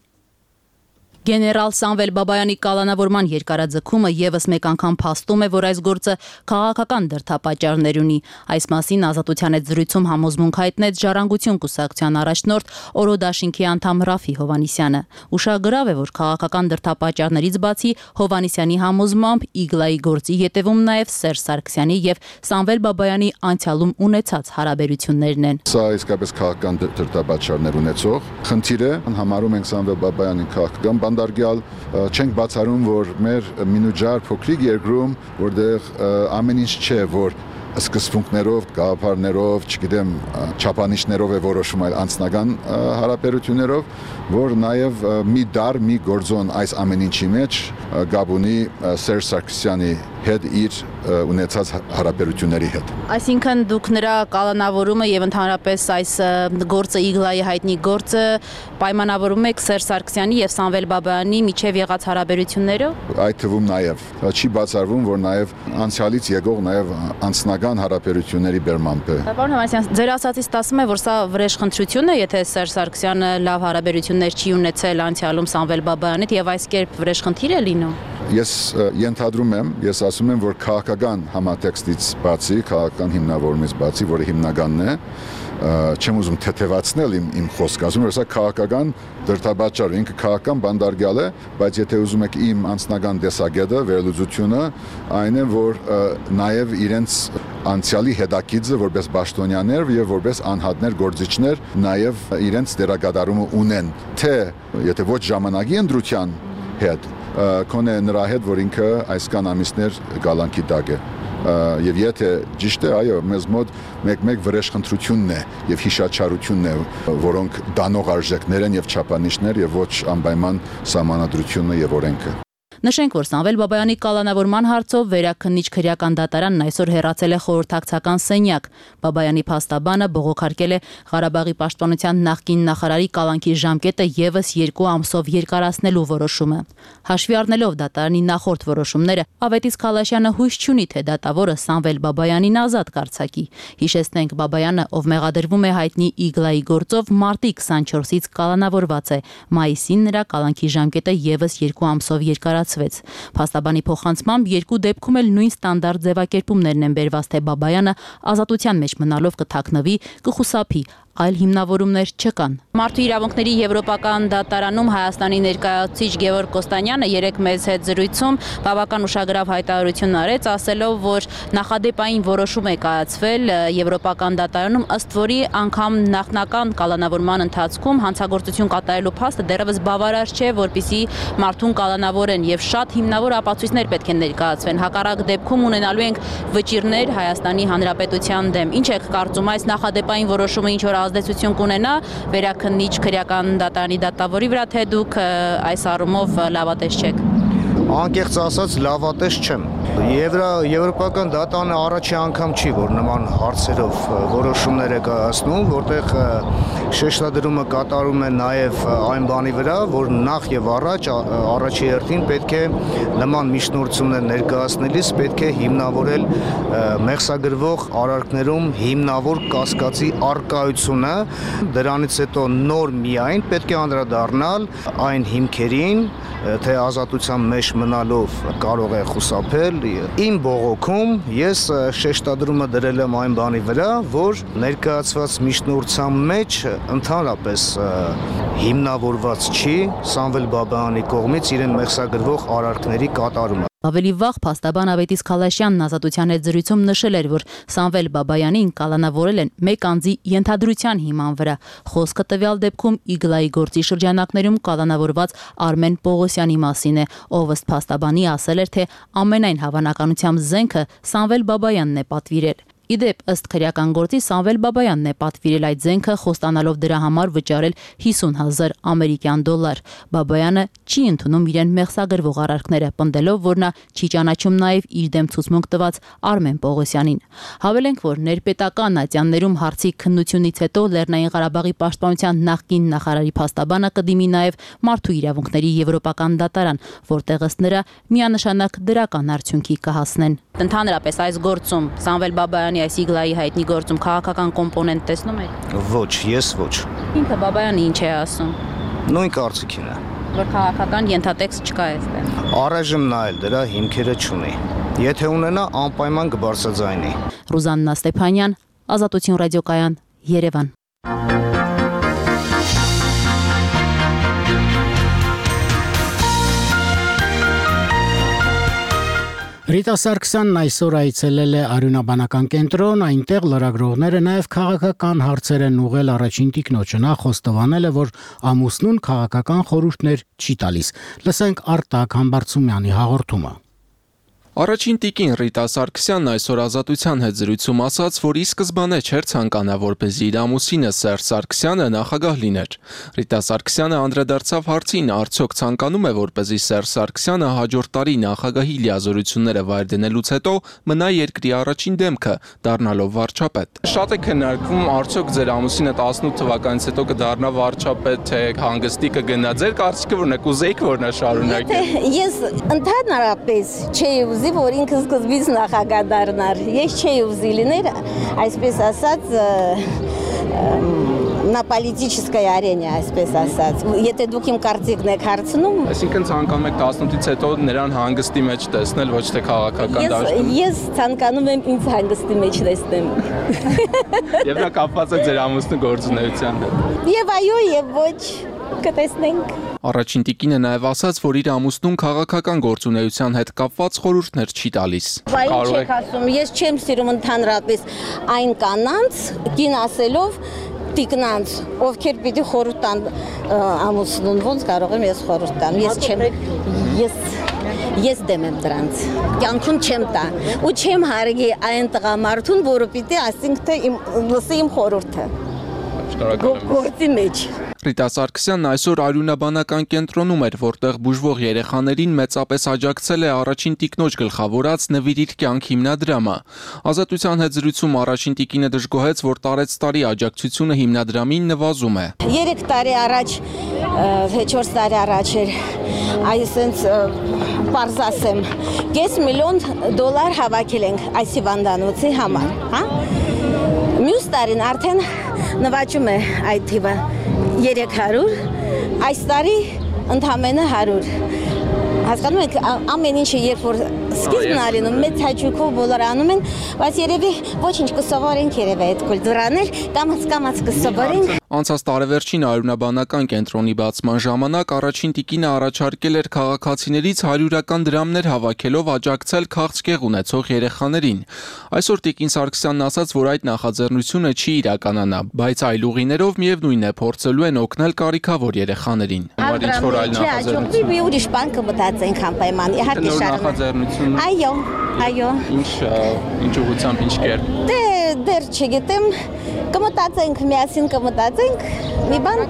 Գեներալ Սամվել Բաբայանի կալանավորման երկարաձգումը եւս մեկ անգամ փաստում է, որ այս գործը քաղաքական դրդապատճառներ ունի։ Այս մասին Ազատության հետ զրույցում համոզմունք հայտնեց Ժառանգություն կուսակցության առաջնորդ Օրո դաշինքի անդամ Ռաֆի Հովանիսյանը։ Ուշագրավ է, որ քաղաքական դրդապատճառներից բացի Հովանիսյանի համոզմամբ Իգլայի գործի յետևում նաեւ Սերժ Սարգսյանի եւ Սամվել Բաբայանի անցյալում ունեցած հարաբերություններն են։ Սա իսկապես քաղաքական դրդապատճառներ ունեցող խնդիր է, համարում ենք Սամվել Բաբայանի քաղաքական բանդարգյալ, չենք բացառում, որ մեր մինուջար փոքրիկ երկրում, որտեղ ամեն ինչ չէ, որ սկզբունքներով, գաղափարներով, չգիտեմ, չափանիշներով է որոշում, այլ անձնական հարաբերություններով, որ նաև մի դար, մի գործոն այս ամեն ինչի մեջ գաբ ունի Սերժ Սարգսյանի հետ իր ունեցած հարաբերությունների հետ։ Այսինքն դուք նրա կալանավորումը եւ ընդհանրապես այս գործը Իգլայի հայտնի գործը պայմանավորում եք Սերժ Սարգսյանի եւ Սամվել Բաբայանի միջև եղած հարաբերություններով։ Այդ թվում նաեւ չի բացառվում, որ նաեւ անցյալից եկող նաեւ անձնական հարաբերությունների բերմամբ է։ Պարոն Հովանեսյան, ձեր ասածից ստացվում է, որ սա վրեժխնդրություն է, եթե Սերժ Սարգսյանը լավ հարաբերություններ չի ունեցել անցյալում Սամվել Բաբայանի հետ եւ այս կերպ վրեժխնդիր է լինում։ Ես ենթադրում եմ, ես ասում եմ, որ քաղաքական համատեքստից բացի, քաղաքական հիմնավորումից բացի, որը հիմնականն է, չեմ ուզում թեթևացնել իմ խոսքը, ասում եմ, որ սա քաղաքական դրդապատճառ, ինքը քաղաքական բանդարգյալ է, բայց եթե ուզում եք իմ անձնական տեսակետը, վերլուծությունը, այն է, որ նաև իրենց անցյալի հետաքիծը որպես պաշտոնյաներ եւ որպես անհատներ, գործիչներ նաև իրենց դերակատարումը ունեն, թե եթե ոչ ժամանակի ընտրության հետ կոնե նրա հետ, որ ինքը այսքան ամիսներ գալանքի տակ է։ Եվ եթե ճիշտ է, այո, մեզ մոտ մեկ վրեժխնդրությունն է եւ հիշաչարությունն է, որոնք դանող արժեքներ են եւ չափանիշներ եւ ոչ անպայման սահմանադրությունը եւ օրենքը։ Նշենք, որ Սամվել Բաբայանի կալանավորման հարցով վերաքննիչ քրեական դատարանն այսօր հեռացել է խորհրդակցական սենյակ։ Բաբայանի փաստաբանը բողոքարկել է Ղարաբաղի պաշտպանության նախկին նախարարի կալանքի ժամկետը եւս 2 ամսով երկարացնելու որոշումը։ Հաշվի առնելով դատարանի նախորդ որոշումները, Ավետիս Քալաշյանը հույս չունի, թե դատավորը Սամվել Բաբայանին ազատ կարձակի։ Հիշեցնենք, Բաբայանը, ով մեղադրվում է հայտնի Իգլայի գործով, մարտի 24-ից կալանավորված է։ Մայիսին նրա կալանքի ժամկետը եւս 2 ամսով երկարացվեց։ Փաստաբանի փոխանցմամբ երկու դեպքում էլ նույն ստանդարտ ձևակերպումներն են բերված, թե Բաբայանը ազատության մեջ մնալով կթաքնվի, կխուսափի, այլ հիմնավորումներ չկան։ Մարդու իրավունքների եվրոպական դատարանում Հայաստանի ներկայացուցիչ Գևորգ Կոստանյանը երեկ մեծ հետ զրույցում բավական ուշագրավ հայտարարություն արեց, ասելով, որ նախադեպային որոշում է կայացվել եվրոպական դատարանում, ըստ որի անգամ նախնական կալանավորման ընթացքում հանցագործություն կատարելու փաստը դեռևս բավարար չէ, որպեսզի մարդուն կալանավորեն, եւ շատ հիմնավոր ապացույցներ պետք է ներկայացվեն։ Հակառակ դեպքում ունենալու ենք վճիռներ Հայաստանի Հանրապետության դեմ։ Ինչ եք կարծում, այս նախադեպային որոշումը ինչ որ ազդեցություն կունենա վերաքննիչ քրեական դատարանի դատավորի վրա, թե դուք այս առումով լավատես չեք։ Անկեղծ ասած լավատես չեմ։ Եվրոպական դատարանը առաջի անգամ չի, որ նման հարցերով որոշումներ է կայացնում, որտեղ շեշտադրումը կատարում է նաև այն բանի վրա, որ նախ եւ առաջի հերթին պետք է նման միջնորդություններ ներկայացնելիս պետք է հիմնավորել մեղսագրվող արարքներում հիմնավոր կասկածի առկայությունը, դրանից հետո նոր միայն պետք է անդրադառնալ այն հիմքերին, թե ազատության մեջ մնալով կարող է խուսափել։ Իմ բողոքում ես շեշտադրումը դրել եմ այն բանի վրա, որ ներկայացված միջնորդության մեջ ընդհանրապես հիմնավորված չի Սամվել Բաբայանի կողմից իրեն մեղսագրվող արարքների կատարումը։ Ավելի վաղ փաստաբան Ավետիս Քալաշյանն Ազատության հետ զրույցում նշել էր, որ Սամվել Բաբայանին կալանավորել են մեկ անձի ենթադրության հիման վրա։ Խոսքը տվյալ դեպքում Իգլայի գործի շրջանակներում կալանավորված Արմեն Պողոսյանի մասին է, ով ըստ փաստաբանի ասել էր, թե ամենայն հավանականությամբ զենքը Սամվել Բաբայանն է պատվիրել։ Իդեպ ըստ քրեական գործի Սամվել Բաբայանն է պատվիրել այդ զենքը, խոստանալով դրա համար վճարել 50,000 ամերիկյան դոլար։ Բաբայանը չի ընդունում իրեն մեղսագրվող արարքները, պնդելով, որ նա չի ճանաչում նաև իր դեմ ցուցմունք տված Արմեն Պողոսյանին։ Հավելենք, որ ներպետական ատյաններում հարցի քննությունից հետո Լեռնային Ղարաբաղի պաշտպանության նախկին նախարարի փաստաբանը կդիմի նաև մարդու իրավունքների եվրոպական դատարան, որտեղ ըստ նրա միանշանակ դրական արդյունքի կհասնեն։ Ընդհանրապես այս գործում Սամվել Բաբայանի այս իգլայի հայտնի գործում քաղաքական կոմպոնենտ տեսնում եք։ Ոչ, ես ոչ։ Ինքը Բաբայանը ինչ է ասում։ Նույն կարծիքին է։ Որ քաղաքական ենթատեքստ չկա այստեղ։ Առայժմ նա էլ դրա հիմքերը չունի։ Եթե ունենա, անպայման կբարձրաձայնի։ Ռուզաննա Ստեփանյան, Ազատություն ռադիոկայան, Երևան։ Ռիտա Սարգսյանն այսօր այցելել է Արյունաբանական կենտրոն, այնտեղ լրագրողները նաև քաղաքական հարցեր են ուղղել առաջին տիկնոջը, նա խոստովանել է, որ ամուսնուն քաղաքական խորհուրդներ չի տալիս։ Լսենք Արտակ Համբարձումյանի հաղորդումը։ Առաջին տիկին Ռիտա Սարգսյանն այսօր Ազատության հետ զրույցում ասաց, որ ի սկզբանե չէր ցանկանա, որպեսզի իր ամուսինը Սերժ Սարգսյանը նախագահ լիներ։ Ռիտա Սարգսյանը անդրադարձավ հարցին, արդյոք ցանկանում է, որպեսզի Սերժ Սարգսյանը հաջորդ տարի նախագահի լիազորությունները վայր դնելուց հետո մնա երկրի առաջին դեմքը, դառնալով վարչապետ։ Շատ է քննարկվում, արդյոք ձեր ամուսինը 18 թվականից հետո կդառնա վարչապետ, թե հանգստի կգնա։ Ձեր կարծիքը ո՞րն է, կուզեիք, որ նա շարունակի։ Ես ընդհանրապես չէի ուզի, որ ինքը սկզբից նախագահ դառնար։ Ես չէի ուզի լիներ, այսպես ասած, на политической арене, այսպես ասած։ Եթե դուք իմ կարծիքն եք հարցնում, այսինքն ցանկանում եք 18-ից հետո նրան հանգստի մեջ տեսնել, ոչ թե քաղաքական դաշտում։ Ես ցանկանում եմ ինձ հանգստի մեջ տեսնեմ։ Եվ նա կապված է ձեր ամուսնու գործունեության հետ։ Եվ այո, եւ ոչ, կտեսնենք։ Առաջին տիկինը նաև ասաց, որ իր ամուսնուն քաղաքական գործունեության հետ կապված խորհուրդներ չի տալիս։ Բայց չեք ասում, ես չեմ սիրում ընդհանրապես այն կանանց, կին ասելով տիկնանց, ովքեր պիտի խորհուրդ տան ամուսնուն, ոնց կարող եմ ես խորհուրդ տամ։ Ես դեմ եմ դրանց։ Կյանքում չեմ տա ու չեմ հարգի այն տղամարդուն, որը պիտի ասենք թե լսի իմ խորհուրդը։ Գործի մեջ։ Ռիտա Սարգսյանն այսօր Արյունաբանական կենտրոնում էր, որտեղ բուժվող երեխաներին մեծապես աջակցել է առաջին տիկնոջ գլխավորած «Նվիրիր կյանք» հիմնադրամը։ Ազատության հետ զրույցում առաջին տիկինը դժգոհեց, որ տարեցտարի աջակցությունը հիմնադրամին նվազում է։ 3 տարի առաջ, 4 տարի առաջ էր, այսինքն պարզ ասեմ, $500,000 հավաքել ենք այս հիվանդանոցի համար, հա։ Մյուս տարին արդեն նվաճում է այդ թիվը 300, այս տարի ընդամենը 100։ Հասկանում եք, ամեն ինչը երբ որ սկիզբն ալինում, մեծ հաճույքով բոլորը անում են, բայց երևի ոչինչ կսովորենք երևի այդ կուլտուրաներ, կամաց կսովորենք։ Անցած տարեվերջին Արյունաբանական կենտրոնի բացման ժամանակ առաջին տիկինը առաջարկել էր քաղաքացիներից 100-ական դրամներ հավաքելով աջակցել քաղցկեղ ունեցող երեխաներին։ Այսօր տիկին Սարգսյանն ասաց, որ այդ նախաձեռնությունը չի իրականանա, բայց այլ ուղիներով միևնույն է փորձելու են օգնել կարիքավոր երեխաներին։ Համար ինչ-որ այլ նախաձեռնություն։ Մի ուրիշ բան կմտածենք անպայման, իհարկե շարունակ։ Այո։ Ինչ ուղղությամբ, ինչ կերպ։ Դեռ չգիտեմ, կմտածենք, միասին կմտածենք, մի բան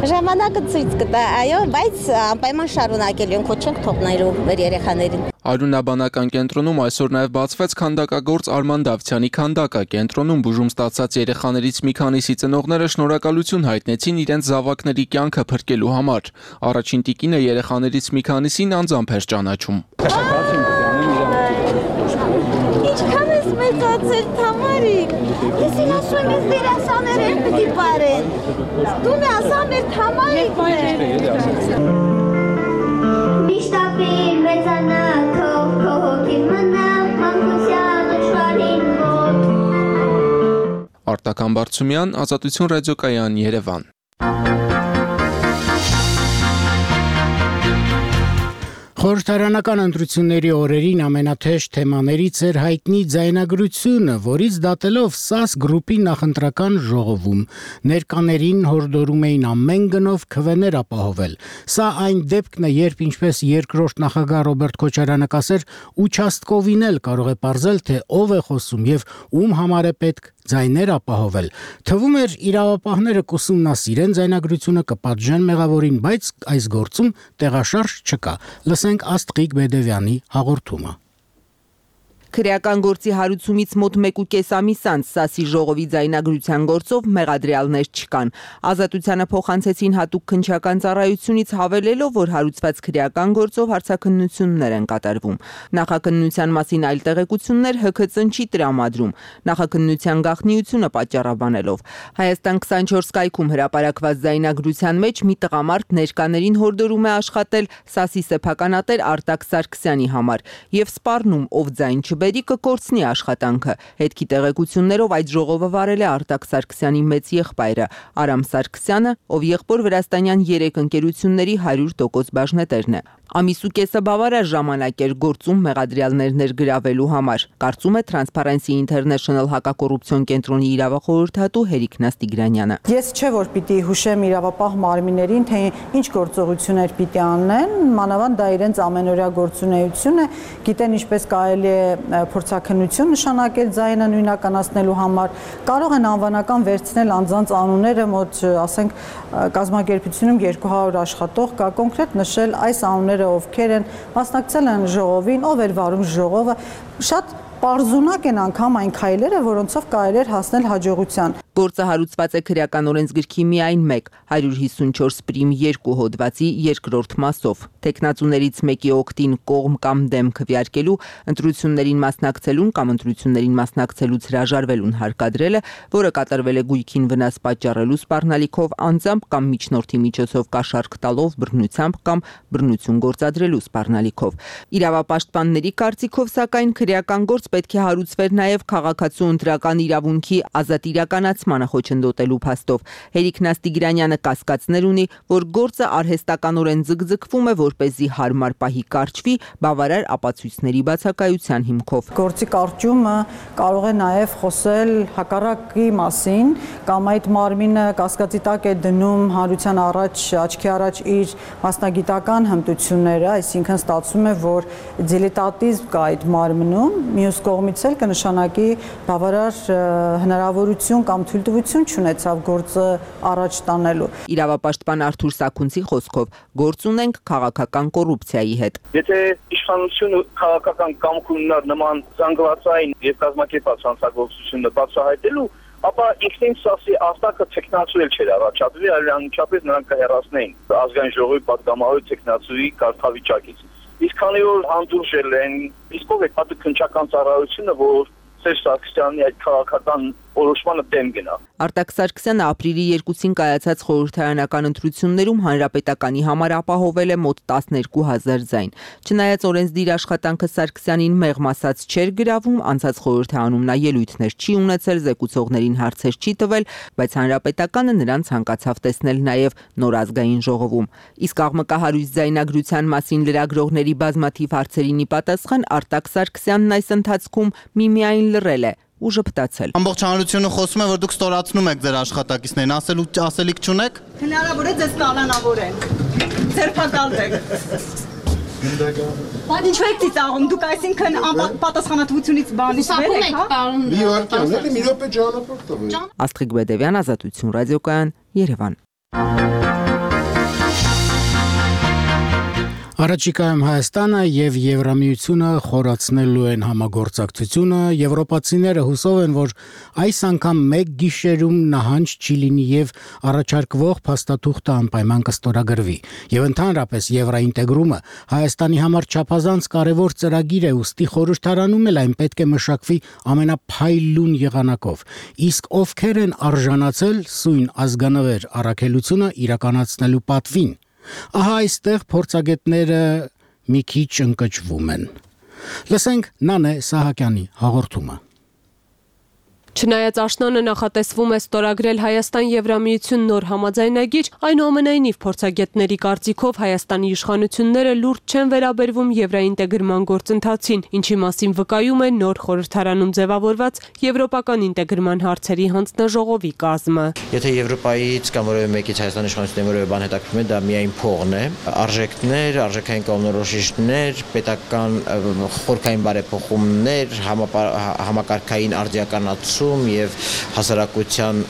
ժամանակը ցույց կտա, այո, բայց անպայման շարունակելու ենք, ոչ չենք թողնելու մեր երեխաներին։ Արյունաբանական կենտրոնում այսօր նաև բացվեց քանդակագործ Արման Դավթյանի քանդակը։ Կենտրոնում բուժում ստացած երեխաներից մի քանիսի ծնողները շնորհակալություն հայտնեցին իրենց զավակների կյանքը փրկելու համար։ Առաջին տիկինը երեխաներից մի քանիսին անձամբ էր ճանաչում։ Ինչքան ես մեծացել, Թամարիկ։ Ես ասում եմ, դերասաններ են պիտի բարեն։ Դու մի ասա մեր Թամարիկն է։ Միշտապիր մեծանա քո հոգին մնա մանկության աշխարհին մոտ։ Արտակ Համբարձումյան, Ազատություն ռադիոկայան, Երևան։ Խորհրդարանական ընտրությունների օրերին ամենաթեժ թեմաներից էր հայտնի ձայնագրությունը, որից դատելով ՍԱՍ գրուպի նախընտրական ժողովում ներկաներին հորդորում էին ամեն գնով քվեներ ապահովել։ Սա այն դեպքն է, երբ ինչպես երկրորդ նախագահ Ռոբերտ Քոչարյանը կասեր, участковին էլ կարող է պարզել, թե ով է խոսում եւ ում համար է պետք ձայներ ապահովել։ Թվում էր իրավապահները կուսումնասիրեն ձայնագրությունը, կպատժեն մեղավորին, բայց այս գործում տեղաշարժ չկա։ Լսենք Աստղիկ Բեդևյանի հաղորդումը։ Քրեական գործի հարուցումից մոտ 1.5 ամիս անց ՍԱՍ-ի ժողովի ձայնագրության գործով մեղադրյալներ չկան։ Ազատությանը փոխանցեցին հատուկ քննչական ծառայությունից հավելելով, որ հարուցված քրեական գործով հարցաքննություններ են կատարվում։ Նախաքննության մասին այլ տեղեկություններ ՀՔԾ-ն չի տրամադրում, նախաքննության գաղտնիությունը պատճառաբանելով։ Հայաստան 24 կայքում հրապարակված ձայնագրության մեջ մի տղամարդ ներկաներին հորդորում է աշխատել ՍԱՍ-ի սեփականատեր Արտակ Սարգսյանի համար եւ սպառնում, ով ձայն չբերի կկորցնի աշխատանքը։ Հետքի տեղեկություններով այդ ժողովը վարել է Արտակ Սարգսյանի մեծ եղբայրը Արամ Սարգսյանը, ով եղբոր վրաստանյան 3 ընկերությունների 100% բաժնետերն է։ Ամիս ու կեսը բավարար ժամանակ էր գործում մեղադրյալներ ներգրավելու համար, կարծում է Transparency International հակակոռուպցիոն կենտրոնի իրավախորհրդատու Հերիկ Նաստիգրանյանը։ Ես չէ որ պիտի հուշեմ իրավապահ մարմիններին, թե ինչ գործողություններ պիտի անեն, մանավանդ դա իրենց ամենօրյա գործունեություն է, գիտեն ինչպես կարելի է փորձաքննություն նշանակել ձայնը նույնականացնելու համար, կարող են անվանական վերցնել անձանց անունները, մոտ ասենք կազմակերպությունում 200 աշխատող կա, կոնկրետ նշել այս անունները ովքեր են մասնակցել են ժողովին, ով էր վարում ժողովը, շատ պարզունակ են անգամ այն քայլերը, որոնցով կարելի էր հասնել հաջողության։ Գործը հարուցված է քրեական օրենսգրքի միայն 154 պրիմ 2 հոդվածի երկրորդ մասով։ Տեխնացուներից մեկի օգտին կողմ կամ դեմ քվեարկելու, ընտրություններին մասնակցելուն կամ ընտրություններին մասնակցելուց հրաժարվելուն հարկադրելը, որը կատարվել է գույքին վնաս պատճառելու սպառնալիքով, անձամբ կամ միջնորդի միջոցով կաշառք տալով, բռնությամբ կամ բռնություն գործադրելու սպառնալիքով։ Իրավապաշտպանների կարծիքով, սակայն քրեական գործ պետք է հարուցվեր նաև քաղաքացու ընտրական իրավունքի ազատ իրականացմանը խոչընդոտելու փաստով։ Հերիկ Նաստիգրանյանը կասկածներ ունի, որ գործը արհեստականորեն ձգձգվում է, որպեսզի հարմար պահի կարճվի բավարար ապացույցների բացակայության հիմքով։ Գործի կարճումը կարող է նաև խոսել հակառակի մասին, կամ այդ մարմինը կասկածի տակ է դնում հանրության առաջ, աչքի առաջ իր մասնագիտական հմտությունները, այսինքն ստացվում է, որ դիլետանտիզմ կա այդ մարմնում, մյուս կողմից էլ կնշանակի բավարար հնարավորություն կամ թույլտվություն չունեցավ գործը առաջ տանելու։ Իրավապաշտպան Արթուր Սաքունցի խոսքով գործ ունենք քաղաքական կոռուպցիայի հետ։ Եթե իշխանությունը քաղաքական կամք ունենար նման զանգվածային եւ կազմակերպված հանցագործությունը բացահայտելու, ապա ինքնին ՍԱՍ-ի արտակը տեխնացու էլ չէր առաջադրվի, այլ անմիջապես նրանք կհեռացնեին ազգային ժողովի պատգամավորի տեխնացուի կարգավիճակից։ Իսկ քանի որ հանդուրժել են, իսկ ով է պատը քննչական ծառայությունը, որ Սերժ Սարգսյանի այդ քաղաքական որոշմանը դեմ գնա։ Արտակ Սարգսյանը ապրիլի 2-ին կայացած խորհրդարանական ընտրություններում հանրապետականի համար ապահովել է մոտ 12000 ձայն։ Չնայած օրենսդիր աշխատանքը Սարգսյանին մեղմ ասած չէր գրավում, անցած խորհրդարանում նա ելույթներ չի ունեցել, զեկուցողներին հարցեր չի տվել, բայց հանրապետականը նրան ցանկացավ տեսնել նաև նոր ազգային ժողովում։ Իսկ աղմկահարույց ձայնագրության մասին լրագրողների բազմաթիվ հարցերին ի պատասխան Արտակ Սարգսյանն այս ընթացքում միմիայն լռել է ու ժպտացել։ Ամբողջ հանրությունը խոսում է, որ դուք ստորացնում եք ձեր աշխատակիցներին, ասելիք չունեք։ Հնարավոր է ձեզ կալանավորեն։ Ձերբակալվեք։ Բայց ինչու եք ծիծաղում, դուք այսինքն պատասխանատվությունից բանից վեր եք, հա։ մի րոպե ճանապարհ տվեք։ Աստղիկ Բեդևյան, Ազատություն ռադիոկայան, Երևան։ Առաջիկայում Հայաստանը եւ Եվրամիությունը խորացնելու են համագործակցությունը, եվրոպացիները հուսով են, որ այս անգամ մեկ գիշերում նահանջ չի լինի եւ առաջարկվող փաստաթուղթը անպայման կստորագրվի։ Եվ ընդհանրապես եվրոինտեգրումը Հայաստանի համար չափազանց կարևոր ծրագիր է, ուստի խորհրդարանում էլ այն պետք է մշակվի ամենափայլուն եղանակով։ Իսկ ովքեր են արժանացել սույն ազգանվեր առաքելությունը իրականացնելու պատվին։ Ահա այստեղ փորձագետները մի քիչ ընկճվում են։ Լսենք Նանե Սահակյանի հաղորդումը։ Չնայած աշնանը նախատեսվում է ստորագրել Հայաստան-Եվրամիություն նոր համաձայնագիր, այնուամենայնիվ փորձագետների կարծիքով Հայաստանի իշխանությունները լուրջ չեն վերաբերվում եվրաինտեգրման գործընթացին, ինչի մասին վկայում է նոր խորհրդարանում ձևավորված եվրոպական ինտեգրման հարցերի հանձնաժողովի կազմը։ Եթե Եվրոպայից կամ որևէ մեկից Հայաստանի իշխանությունների որևէ բան հետաքրքրում է, դա միայն փողն է, արժեքներ, արժեքային կողմնորոշիչներ, պետական խորքային բարեփոխումներ, համակարգային արդիականացում եւ հասարակության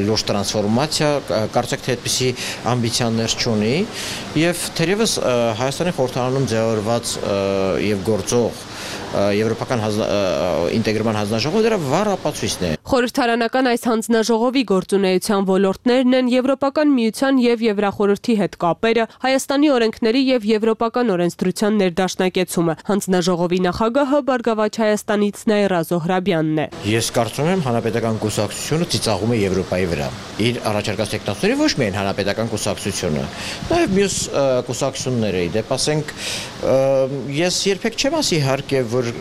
լուրջ տրանսֆորմացիա, կարծեք թե այդպիսի ամբիցիաներ չունի եւ թերևս Հայաստանի խորհրդարանում ձևավորված եւ գործող եվրոպական ինտեգրման հանձնաժողովը դրա վառ ապացույցն է։ Խորհրդարանական այս հանձնաժողովի գործունեության ոլորտներն են Եվրոպական միության եւ Եվրախորհրդի հետ կապերը, Հայաստանի օրենքների եւ եվրոպական օրենսդրության ներդաշնակեցումը։ Հանձնաժողովի նախագահը Բարգավաճ Հայաստանից Նաիրա Զոհրաբյանն է։ Ես կարծում եմ հանրապետական կուսակցությունը ծիծաղում է Եվրոպայի վրա։ Իր առաջարկած տեխնոլոգիաների ոչ միայն հանրապետական կուսակցությունը, նաեւ մյուս կուսակցությունները, դեպ ասենք ես երբեք չեմ ասի իհարկե որ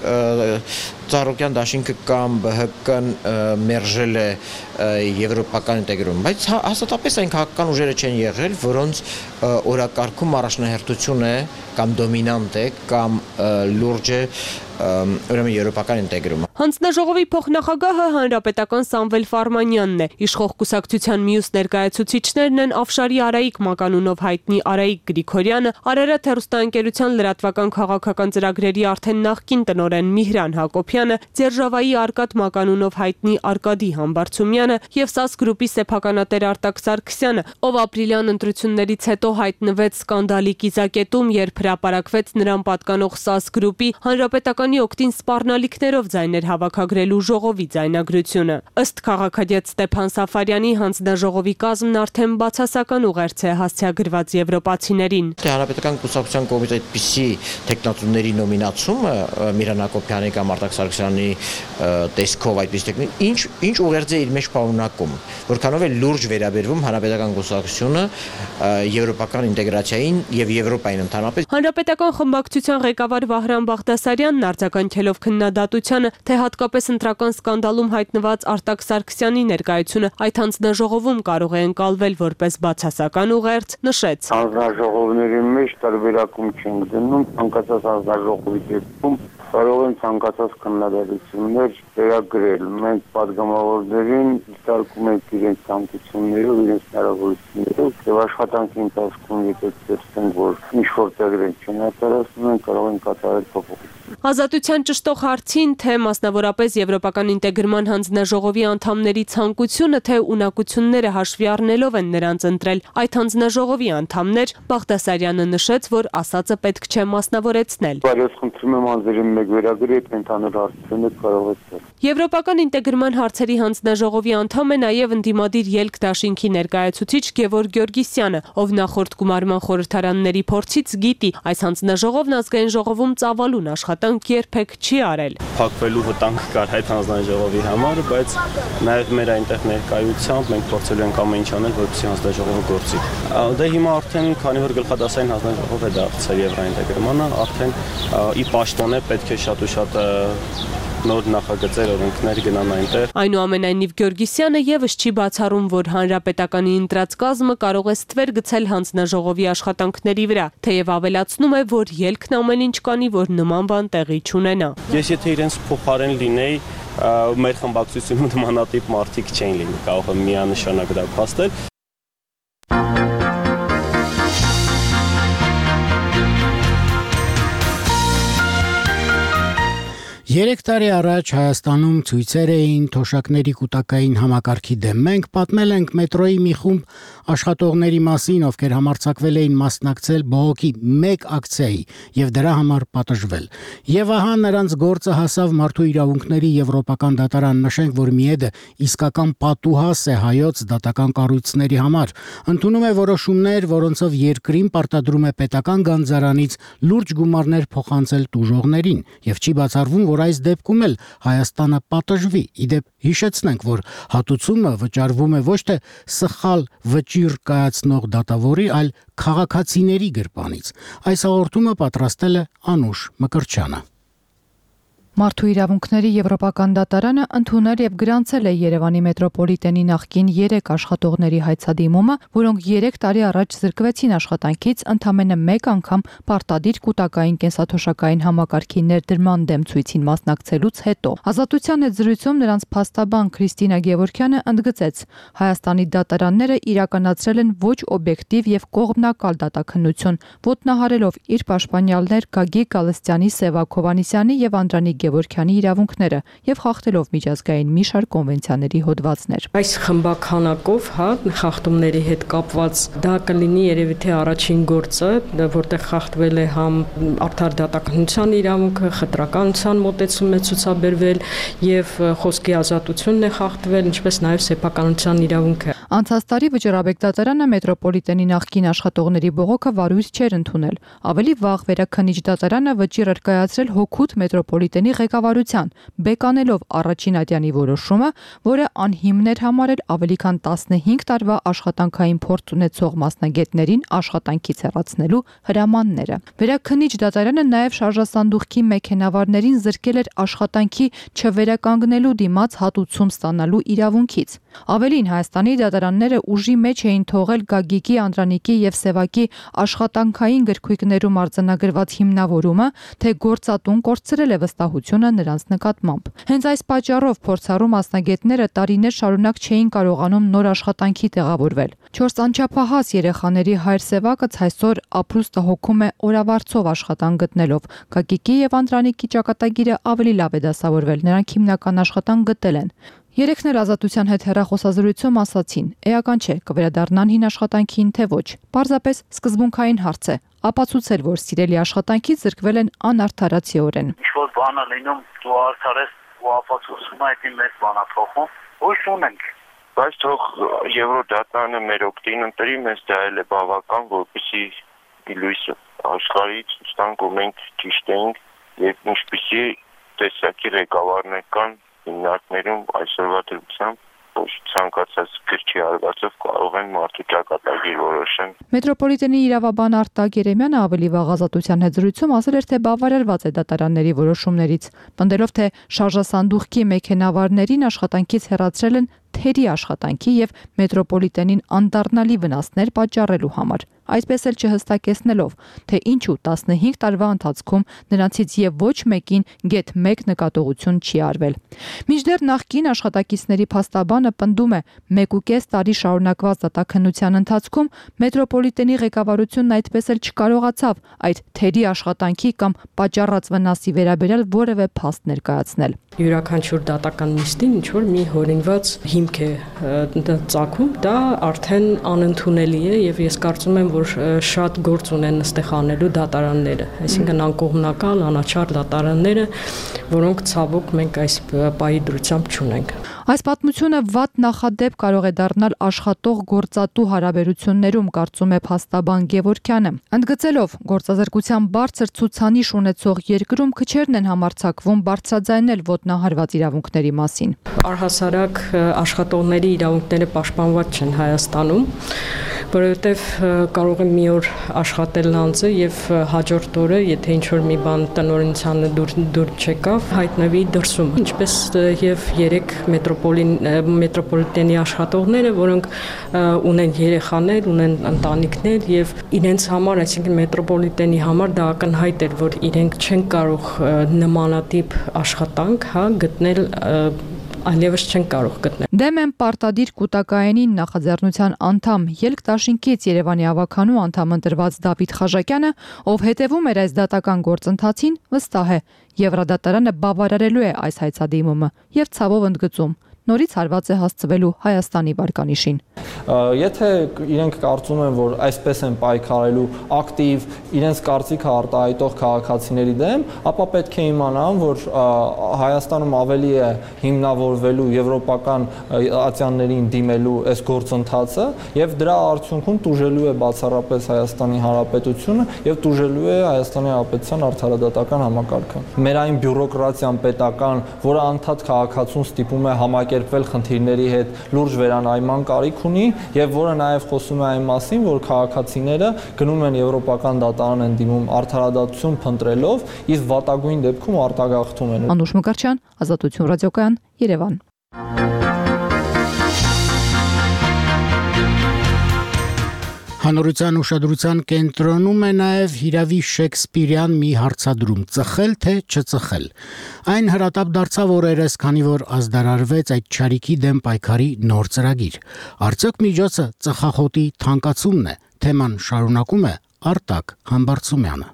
Ծառուկյան դաշինքը կամ ԲՀԿ-ն մերժել է եվրոպական ինտեգրում, բայց հաստատապես այն քաղաքական ուժերը չեն եղել, որոնց օրակարգում առաջնահերթություն է կամ դոմինանտ է կամ լուրջ է ուրեմն եվրոպական ինտեգրումը։ Հանձնաժողովի փոխնախագահը հանրապետական Սամվել Ֆարմանյանն է։ Իշխող կուսակցության մյուս ներկայացուցիչներն են Աֆշարի Արայիկ մականունով հայտնի Արայիկ Գրիգորյանը, Արարատ հեռուստաընկերության լրատվական քաղաքական ծրագրերի արդեն նախկին տնօրեն Միհրան Հակոբյանը, Ձերժավայի Արկադ մականունով հայտնի Արկադի Համբարձումյանը եւ ՍԱՍ գրուպի սեփականատեր Արտակ Սարգսյանը, ով ապրիլյան ընտրություններից հետո հայտնվեց սկանդալի կիզակետում, երբ հրապարակվեց նրան պատկանող ՍԱՍ գրուպի հանրապետական օգտին սպառնալիքներով ձայներ հավաքագրելու ժողովի ձայնագրությունը։ Ըստ քաղաքագետ Ստեփան Սաֆարյանի հանձնաժողովի կազմն արդեն բացասական ուղերձ է հասցեագրված եվրոպացիներին։ Հանրապետական կուսակցության կողմից այդպիսի տեխնատուների նոմինացումը Միհրան Հակոբյանի կամ Արտակ Սարգսյանի տեսքով այդպիսի ինչ ուղերձ է իր մեջ պարունակում, որքանով է լուրջ վերաբերվում հանրապետական կուսակցությունը եվրոպական ինտեգրացիային եւ Եվրոպային ընդհանրապես։ Հանրապետական խմբակցության ղեկավար Վահրամ Բաղդասարյանն արձագանքելով քննադատությանը, թե հատկապես ընտրական սկանդալում հայտնված Արտակ Սարգսյանի ներկայությունը այդ հանձնաժողովում կարող է ընկալվել որպես բացասական ուղերձ, նշեց. Հանձնաժողովների մեջ տարբերակում չենք դնում, ցանկացած հանձնաժողովի դեպքում կարող են ցանկացած քննադատություններ վերագրել։ Մենք падգամավորներին դիտարկում ենք իրենց ցանկություններով, իրենց հնարավորություններով եւ աշխատանքի ընթացքում եթե տեսնենք, որ ինչ-որ տեղեր չեն արտարացնում, կարող են կատարել փոփոխություն։ Ազատության ճշտող հարցին, թե մասնավորապես Եվրոպական ինտեգրման հանձնաժողովի անդամների ցանկությունը, թե ունակությունները հաշվի առնելով են նրանց ընտրել այդ հանձնաժողովի անդամներ, Բաղդասարյանը նշեց, որ ասածը պետք չէ մասնավորեցնել։ Բայց խնդրում եմ անձերին մեկ վերագրել ընդհանուր հարցերից կարող է։ Եվրոպական ինտեգրման հարցերի հանձնաժողովի անդամ է նաև ընդդիմադիր ելք դաշինքի ներկայացուցիչ Գևորգ Գյորգիսյանը, ով նախորդ գումարման խորհրդարանների փորձից գիտի, այս հանձնաժողովն ազգային ժողովում ծավալուն աշխատանք երբեք չի արել։ Փակվելու վտանգ կար այդ հանձնաժողովի համար, բայց նաև մեր այնտեղ ներկայությամբ մենք փորձելու ենք ամեն ինչ անել, որպեսզի հանձնաժողովը գործի։ Դե հիմա արդեն քանի որ գլխադասային հանձնաժողով է դարձել եվրոինտեգրմանը, արդեն ի պաշտոն է պետք է շատ ու շատ նոր նախագծեր օրենքներ գնան այնտեղ։ Այնուամենայնիվ Գյորգիսյանը եւս չի բացառում, որ հանրապետականի ընտրած կազմը կարող է ստվեր գցել հանձնաժողովի աշխատանքների վրա, թեև ավելացնում է, որ ելքն ամեն ինչ կանի, որ նման բան տեղի չունենա։ Ես եթե իրենց փոխարեն լինեի, մեր խմբակցությունում նմանատիպ մարդիկ չէին լինի, կարող եմ միանշանակ դա փաստել։ 3 տարի առաջ Հայաստանում ցույցեր էին թոշակների կൂട്ടակային համակարգի դեմ։ Մենք պատմել ենք մետրոյի մի խումբ աշխատողների մասին, ովքեր համարձակվել էին մասնակցել բողոքի մեկ ակցիայի եւ դրա համար պատժվել։ Եվ ահա նրանց գործը հասավ Մարդու իրավունքների եվրոպական դատարան, նշենք, որ Միեդը իսկական պատուհաս է հայոց դատական կառույցների համար։ Ընդունում է որոշումներ, որոնցով երկրին պարտադրում է պետական գանձարանից լուրջ գումարներ փոխանցել տուժողներին եւ չի բացառվում, որ այս դեպքում էլ Հայաստանը պատժվի։ Իդեպ հիշեցնենք, որ հատուցումը վճարվում է ոչ թե սխալ վճիռ կայացնող դատավորի, այլ քաղաքացիների գրպանից։ Այս հաղորդումը պատրաստել է Անուշ Մկրտչյանը։ Մարդու իրավունքների Եվրոպական դատարանը ընդունել եւ գրանցել է Երևանի մետրոպոլիտենի նախկին 3 աշխատողների հայցադիմումը, որոնք 3 տարի առաջ զրկվեցին աշխատանքից ընդամենը 1 անգամ պարտադիր կൂട്ടակային կենսաթոշակային համակարգի ներդրման դեմ ցույցին մասնակցելուց հետո։ Ազատության հետ զրույցում նրանց փաստաբան Քրիստինա Գևորգյանը ընդգծեց. Հայաստանի դատարանները իրականացրել են ոչ օբյեկտիվ եւ կողմնակալ դատաքննություն, ոտնահարելով իր պաշտպանյալներ Գագիկ Գալստյանի, Սևակ Հովհաննիսյանի եւ Անդրանիկ Գևորգյանի իրավունքները եւ խախտելով միջազգային մի շարք կոնվենցիաների հոդվածներ։ Այս խմբականակով, խախտումների հետ կապված դա կլինի երևի թե առաջին գործը, որտեղ խախտվել է համ արդար դատաքննության իրավունքը, խտրականության մոտեցում է ցուցաբերվել եւ խոսքի ազատությունն է խախտվել, ինչպես նաեւ սեփականության իրավունքը։ Անցած տարի Վճռաբեկ դատարանը մետրոպոլիտենի նախկին աշխատողների բողոքը վարույթ չէր ընդունել։ Ավելի վաղ Վերաքննիչ դատարանը վճիռ էր կայացրել հօգուտ մետրոպոլիտենի ղեկավարության, բեկանելով առաջին ատյանի որոշումը, որը անհիմն էր համարել ավելի քան 15 տարվա աշխատանքային փորձ ունեցող մասնագետներին աշխատանքից հեռացնելու հրամանները։ Վերաքննիչ դատարանը նաև շարժասանդուղքի մեքենավարներին զրկել էր աշխատանքի չվերականգնելու դիմաց հատուցում ստանալու իրավունքից։ Ավելին, Հայաստանի դատարանները ուժի մեջ էին թողել Գագիկի, Անդրանիկի եւ Սևակի աշխատանքային գրքույկներում արձանագրված հիմնավորումը, թե գործատուն կորցրել է վստահությունը նրանց նկատմամբ։ Հենց այս պատճառով փորձառու մասնագետները տարիներ շարունակ չէին կարողանում նոր աշխատանքի տեղավորվել։ 4 անչափահաս երեխաների հայր Սևակը այսօր ապրուստը հոգում է օրավարձով աշխատանք գտնելով։ Գագիկի եւ Անդրանիկի ճակատագիրը ավելի լավ է դասավորվել, նրանք հիմնական աշխատանք գտել են։ Երեքն էլ Ազատության հետ հեռախոսազրույցում ասացին. «Էական չէ, կվերադառնան հին աշխատանքին, թե ոչ»։ Պարզապես սկզբունքային հարց է։ Ապացուցել, որ սիրելի աշխատանքից զրկվել են անարդարացիորեն։ Ինչ-որ բան է լինում, դու արդար ես ու ապացուցում այդ մեծ բան է փոխում, ոչ ունենք։ Բայց թող Եվրոդատարանը մեր օգտին ընտրի, մեզ դա էլ է բավական, որպեսզի լույսը աշխարհից ստանք ու մենք ճիշտ ենք եւ ինչպեսի տեսակի ղեկավարներ կան հիմնարկներում այսօրվա դրությամբ ոչ ցանկացած գրքի արվածով կարող են մարդու ճակատագիր որոշեն։ Մետրոպոլիտենի իրավաբան Արտակ Երեմյանը ավելի վաղ Ազատության հետ զրույցում ասել էր, թե բավարարված է դատարանների որոշումներից, պնդելով, թե շարժասանդուղքի մեքենավարներին աշխատանքից հեռացրել են թերի աշխատանքի եւ մետրոպոլիտենին անդառնալի վնասներ պատճառելու համար, այսպես էլ չհստակեցնելով, թե ինչու 15 տարվա ընթացքում նրանցից եւ ոչ մեկին գեթ 1 նկատողություն չի արվել։ Մինչդեռ նախկին աշխատակիցների փաստաբանը պնդում է, 1.5 տարի շարունակված դատաքննության ընթացքում մետրոպոլիտենի ղեկավարությունն այդպես էլ չկարողացավ այդ թերի աշխատանքի կամ պատճառած վնասի վերաբերյալ որևէ փաստ ներկայացնել։ Յուրաքանչյուր դատական նիստին ինչ որ մի հորինված հիմք է ծագում, դա արդեն անընդունելի է եւ ես կարծում եմ, որ շատ գործ ունեն այստեղ անելու դատարանները, այսինքն անկողմնակալ, անաչառ դատարանները, որոնք ցավոք մենք այս պահի դրությամբ չունենք։ Այս պատմությունը վատ նախադեպ կարող է դառնալ աշխատող գործատու հարաբերություններում, կարծում է փաստաբան Գևորգյանը։ Ընդգծելով, գործազրկության բարձր ցուցանիշ ունեցող երկրում քչերն են համարձակվում բարձրաձայնել ոտնահարված իրավունքների մասին։ Առհասարակ աշխատողների իրավունքները պաշտպանված չեն Հայաստանում, որովհետև կարող է մի օր աշխատել անձը եւ հաջորդ օրը, եթե ինչ-որ մի բան տնօրինությանը դուր չեկավ, հայտնվի դրսում, ինչպես եւ 3 մետրոպոլիտենի աշխատողները, որոնք ունեն երեխաներ, ունեն ընտանիքներ եւ իրենց համար, այսինքն մետրոպոլիտենի համար դա ակնհայտ էր, որ իրենք չեն կարող նմանատիպ աշխատանք, գտնել այլևս չեն կարող գտնել։ Դեմ են պարտադիր կൂട്ടակայինին նախաձեռնության անդամ Ելք դաշինքից Երևանի ավականու անդամ ընտրված Դավիթ Խաժակյանը, ով հետևում էր այս դատական գործընթացին, վստահ է, Եվրոդատարանը բավարարելու է այս հայցադիմումը եւ ցավով ընդգծում, նորից հարված է հասցվելու Հայաստանի վարկանիշին։ Եթե իրենք կարծում են, որ այսպես են պայքարելու ակտիվ իրենց կարծիքը արտահայտող քաղաքացիների դեմ, ապա պետք է իմանան, որ Հայաստանում ավելի է հիմնավորվելու եվրոպական ատյաններին դիմելու այս գործընթացը եւ դրա արդյունքում տուժելու է բացառապես Հայաստանի Հանրապետությունը եւ տուժելու է Հայաստանի Հանրապետության արդարադատական համակարգը։ Մեր այն բյուրոկրատիան պետական, որը անդադ քաղաքացուն ստիպում է համակերպ կազմակերպվել խնդիրների հետ լուրջ վերանայման կարիք ունի եւ որը նաեւ խոսում է այն մասին, որ քաղաքացիները գնում են եվրոպական դատարան են դիմում արդարադատություն փնտրելով, իսկ վատագույն դեպքում արտագաղթում են։ Անուշ Մկրտչյան, Ազատություն ռադիոկայան, Երևան։ Հանրության ուշադրության կենտրոնում է նաև հիրավի Շեքսպիրյան մի հարցադրում՝ ծխել թե չծխել։ Այն հրատապ դարձավ օրերս, քանի որ ազդարարվեց այդ չարիքի դեմ պայքարի նոր ծրագիր։ Արդյոք միջոցը ծխախոտի թանկացումն է։ Թեման շարունակում է Արտակ Համբարձումյանը։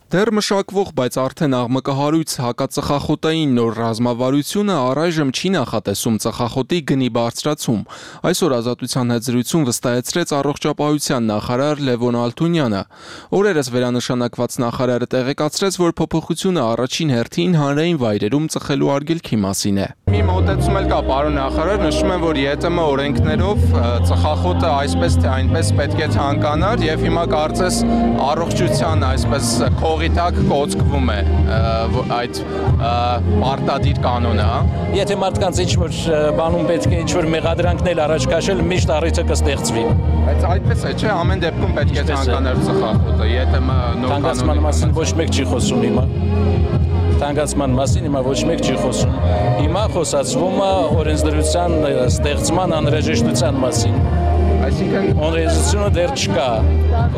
Դեռ մշակվող, բայց արդեն աղմկահարույց հակածխախոտային նոր ռազմավարությունը առայժմ չի նախատեսում ծխախոտի գնի բարձրացում։ Այսօր Ազատության հետ զրույցում վստահեցրեց առողջապահության նախարար Լևոն Ալթունյանը։ Օրերս վերանշանակված նախարարը տեղեկացրեց, որ փոփոխությունը առաջին հերթին հանրային վայրերում ծխելու արգելքի մասին է։ Մի մոտեցում էլ կա, պարոն նախարար, նշում են, որ ԵՏՄ օրենքներով ծխախոտը այսպես թե այնպես պետք է թանկանար եւ հիմա կարծես առողջության այսպես քողի տակ կոծկվում է այդ պարտադիր կանոնը, հա։ Եթե մարդկանց ինչ-որ բանում պետք է ինչ-որ մեղադրանքներ առաջ քաշել, միշտ առիթը կստեղծվի։ Բայց այդպես է, չէ՞, ամեն դեպքում պետք է թանկանար ծխախոտը, ԵՏՄ նոր կանոնի մասին ոչ մեկ չի խոսում հիմա։ Թանկացման մասին հիմա ոչ մեկ չի խոսում։ Հիմա խոսացվում է օրենսդրության ստեղծման անհրաժեշտության մասին։ Այսինքն օրենսդրությունը դեռ չկա։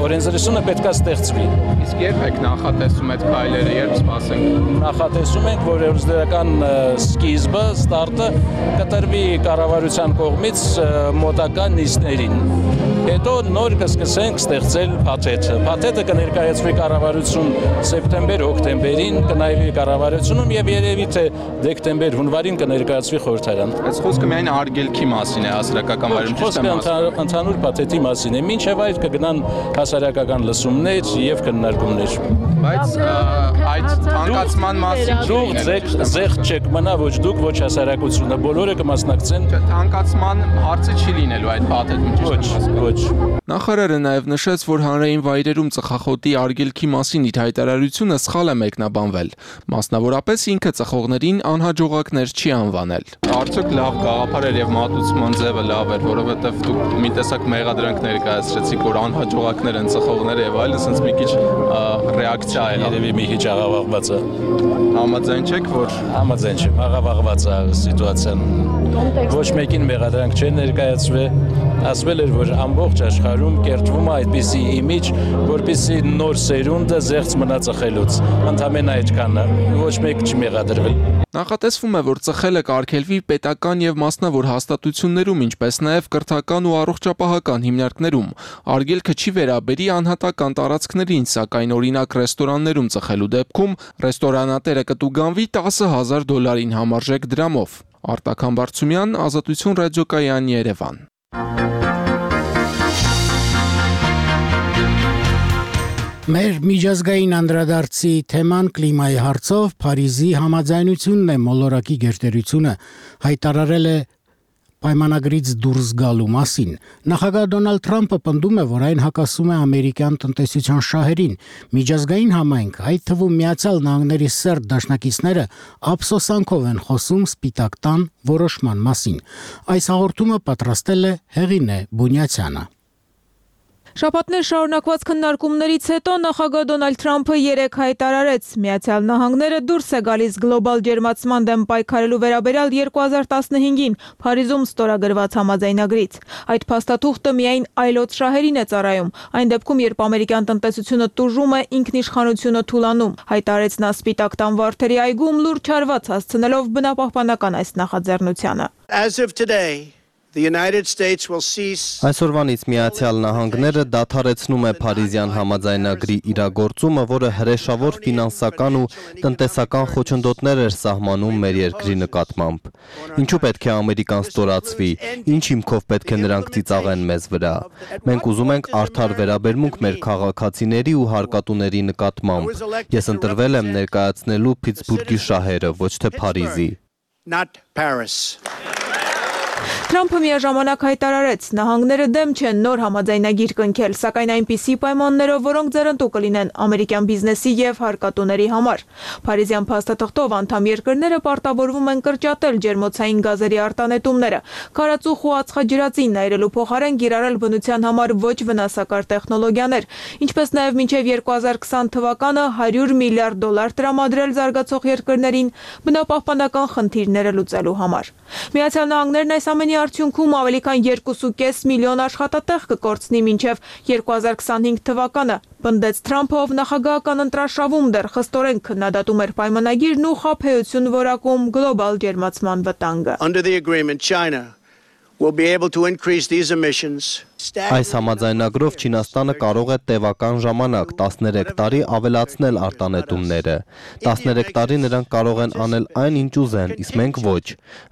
Օրենսդրությունը պետք է ստեղծվի։ Իսկ երբ եք նախատեսում այդ քայլերը, երբ սպասենք։ Նախատեսում ենք, որ օրենսդրական սկիզբը, ստարտը կտրվի կառավարության կողմից մոտակա նիստերին։ Հետո նոր կսկսենք ստեղծել փաթեթը։ Փաթեթը կներկայացվի կառավարություն սեպտեմբեր-օկտեմբերին, կնայվի կառավարությունում եւ երևի թե դեկտեմբեր-հունվարին կներկայացվի խորհրդարան։ Այս խոսքը միայն արգելքի մասին է հասարակական վայրում, ճիշտ է։ Ընդհանուր փաթեթի մասին է։ Մինչև այդ կգնան հասարակական լսումներ եւ քննարկումներ։ Բայց այդ թանկացման մասին դուք զեղչ չեք մնա ոչ դուք, ոչ հասարակությունը, բոլորը կմասնակցեն։ Թանկացման հարցը չի լինելու այդ փաթեթում, ճիշտ է։ Ոչ։ Նախարարը նաև նշեց, որ հանրային վայրերում ծխախոտի արգելքի մասին իր հայտարարությունը սխալ է մեկնաբանվել։ Մասնավորապես ինքը ծխողներին անհաջողակներ չի անվանել։ Արդյոք լավ գաղափար էր եւ մատուցման ձևը լավ էր, որովհետեւ դուք մի տեսակ մեղադրանք ներկայացրեցիք, որ անհաջողակներ են ծխողները եւ այլն, ասենց մի քիչ ռեակցիա է։ Երևի մի քիչ աղավաղված է։ Համաձայն չեք, որ համաձայն չեմ, աղավաղված է սիտուացիան։ Ոչ մեկին մեղադրանք չեն ներկայացվել, ասվել էր, որ ամբողջ աշխարհում կերտվում է այդպիսի իմիջ, որպեսզի նոր սերունդը զեղծ մնա ծխելուց։ Ընդհանրապես այդքան է, ոչ մեկ չմեղադրվել։ Նախատեսվում է, որ ծխելը կարգելվի պետական եւ մասնավոր հաստատություններում, ինչպես նաեւ կրթական ու առողջապահական հիմնարկներում։ Արգելքը չի վերաբերի անհատական տարածքներին, սակայն օրինակ ռեստորաններում ծխելու դեպքում ռեստորանատերը կտուգանվի $10,000 համարժեք դրամով։ Արտակ Համբարձումյան, Ազատություն ռադիոկայան, Երևան։ Մեր միջազգային անդրադարձի թեման կլիմայի հարցով Փարիզի համաձայնությունն է մոլորակի գերտերությունը հայտարարել է պայմանագրից դուրս գալու մասին։ Նախագահ Դոնալդ Թրամփը պնդում է, որ այն հակասում է ամերիկյան տնտեսության շահերին։ Միջազգային համայնք, այդ թվում Միացյալ Նահանգների սերտ դաշնակիցները ափսոսանքով են խոսում Սպիտակ տան որոշման մասին։ Այս հաղորդումը պատրաստել է Հեղինե Բունյացյանը։ Շաբաթներ շարունակված քննարկումներից հետո նախագահ Դոնալդ Թրամփը երեկ հայտարարեց, Միացյալ Նահանգները դուրս է գալիս գլոբալ ջերմացման դեմ պայքարելու վերաբերյալ 2015-ին Փարիզում ստորագրված համաձայնագրից։ Այդ փաստաթուղթը միայն այլոց շահերին է ծառայում, այն դեպքում, երբ ամերիկյան տնտեսությունը տուժում է, ինքնիշխանությունը թուլանում, հայտարարեց նա Սպիտակ տան վարդերի այգում լուրջ հարված հասցնելով բնապահպանական այս նախաձեռնությանը։ Այսօրվանից Միացյալ Նահանգները դադարեցնում է Փարիզյան համաձայնագրի իրագործումը, որը հրեշավոր ֆինանսական ու տնտեսական խոչընդոտներ էր սահմանում մեր երկրի նկատմամբ։ Ինչու պետք է Ամերիկան ստորացվի, ինչ հիմքով պետք է նրանք ծիծաղեն մեզ վրա։ Մենք ուզում ենք արդար վերաբերմունք մեր քաղաքացիների ու հարկատուների նկատմամբ։ Ես ընտրվել եմ ներկայացնելու Փիթսբուրգի շահերը, ոչ թե Փարիզի։ Թրամփը միաժամանակ հայտարարեց, նահանգները դեմ չեն նոր համաձայնագիր կնքել, սակայն այնպիսի պայմաններով, որոնք ձեռնտու կլինեն ամերիկյան բիզնեսի եւ հարկատուների համար։ Փարիզյան փաստաթղթով անդամ երկրները պարտավորվում են կրճատել ջերմոցային գազերի արտանետումները, քարածուխ ու ածխաջրածին այրելու փոխարեն կիրառել բնության համար ոչ վնասակար տեխնոլոգիաներ, ինչպես նաեւ մինչեւ 2020 թվականը $100 միլիարդ տրամադրել զարգացող երկրներին բնապահպանական խնդիրները լուծելու համար։ Միացյալ Նահանգներն այս ամենի արդյունքում ավելի քան 2.5 միլիոն աշխատատեղ կկորցնի մինչև 2025 թվականը, պնդեց Թրամփը, ով նախագահական ընտրաշավում դեռ խստորեն քննադատում էր պայմանագիրն ու խաբեություն որակում գլոբալ ջերմացման վտանգը։ Under the agreement, China will be able to increase these emissions. Այս համաձայնագրով Չինաստանը կարող է տևական ժամանակ 13 տարի ավելացնել արտանետումները։ 13 տարի նրանք կարող են անել այն, ինչ ուզեն, իսկ մենք ոչ։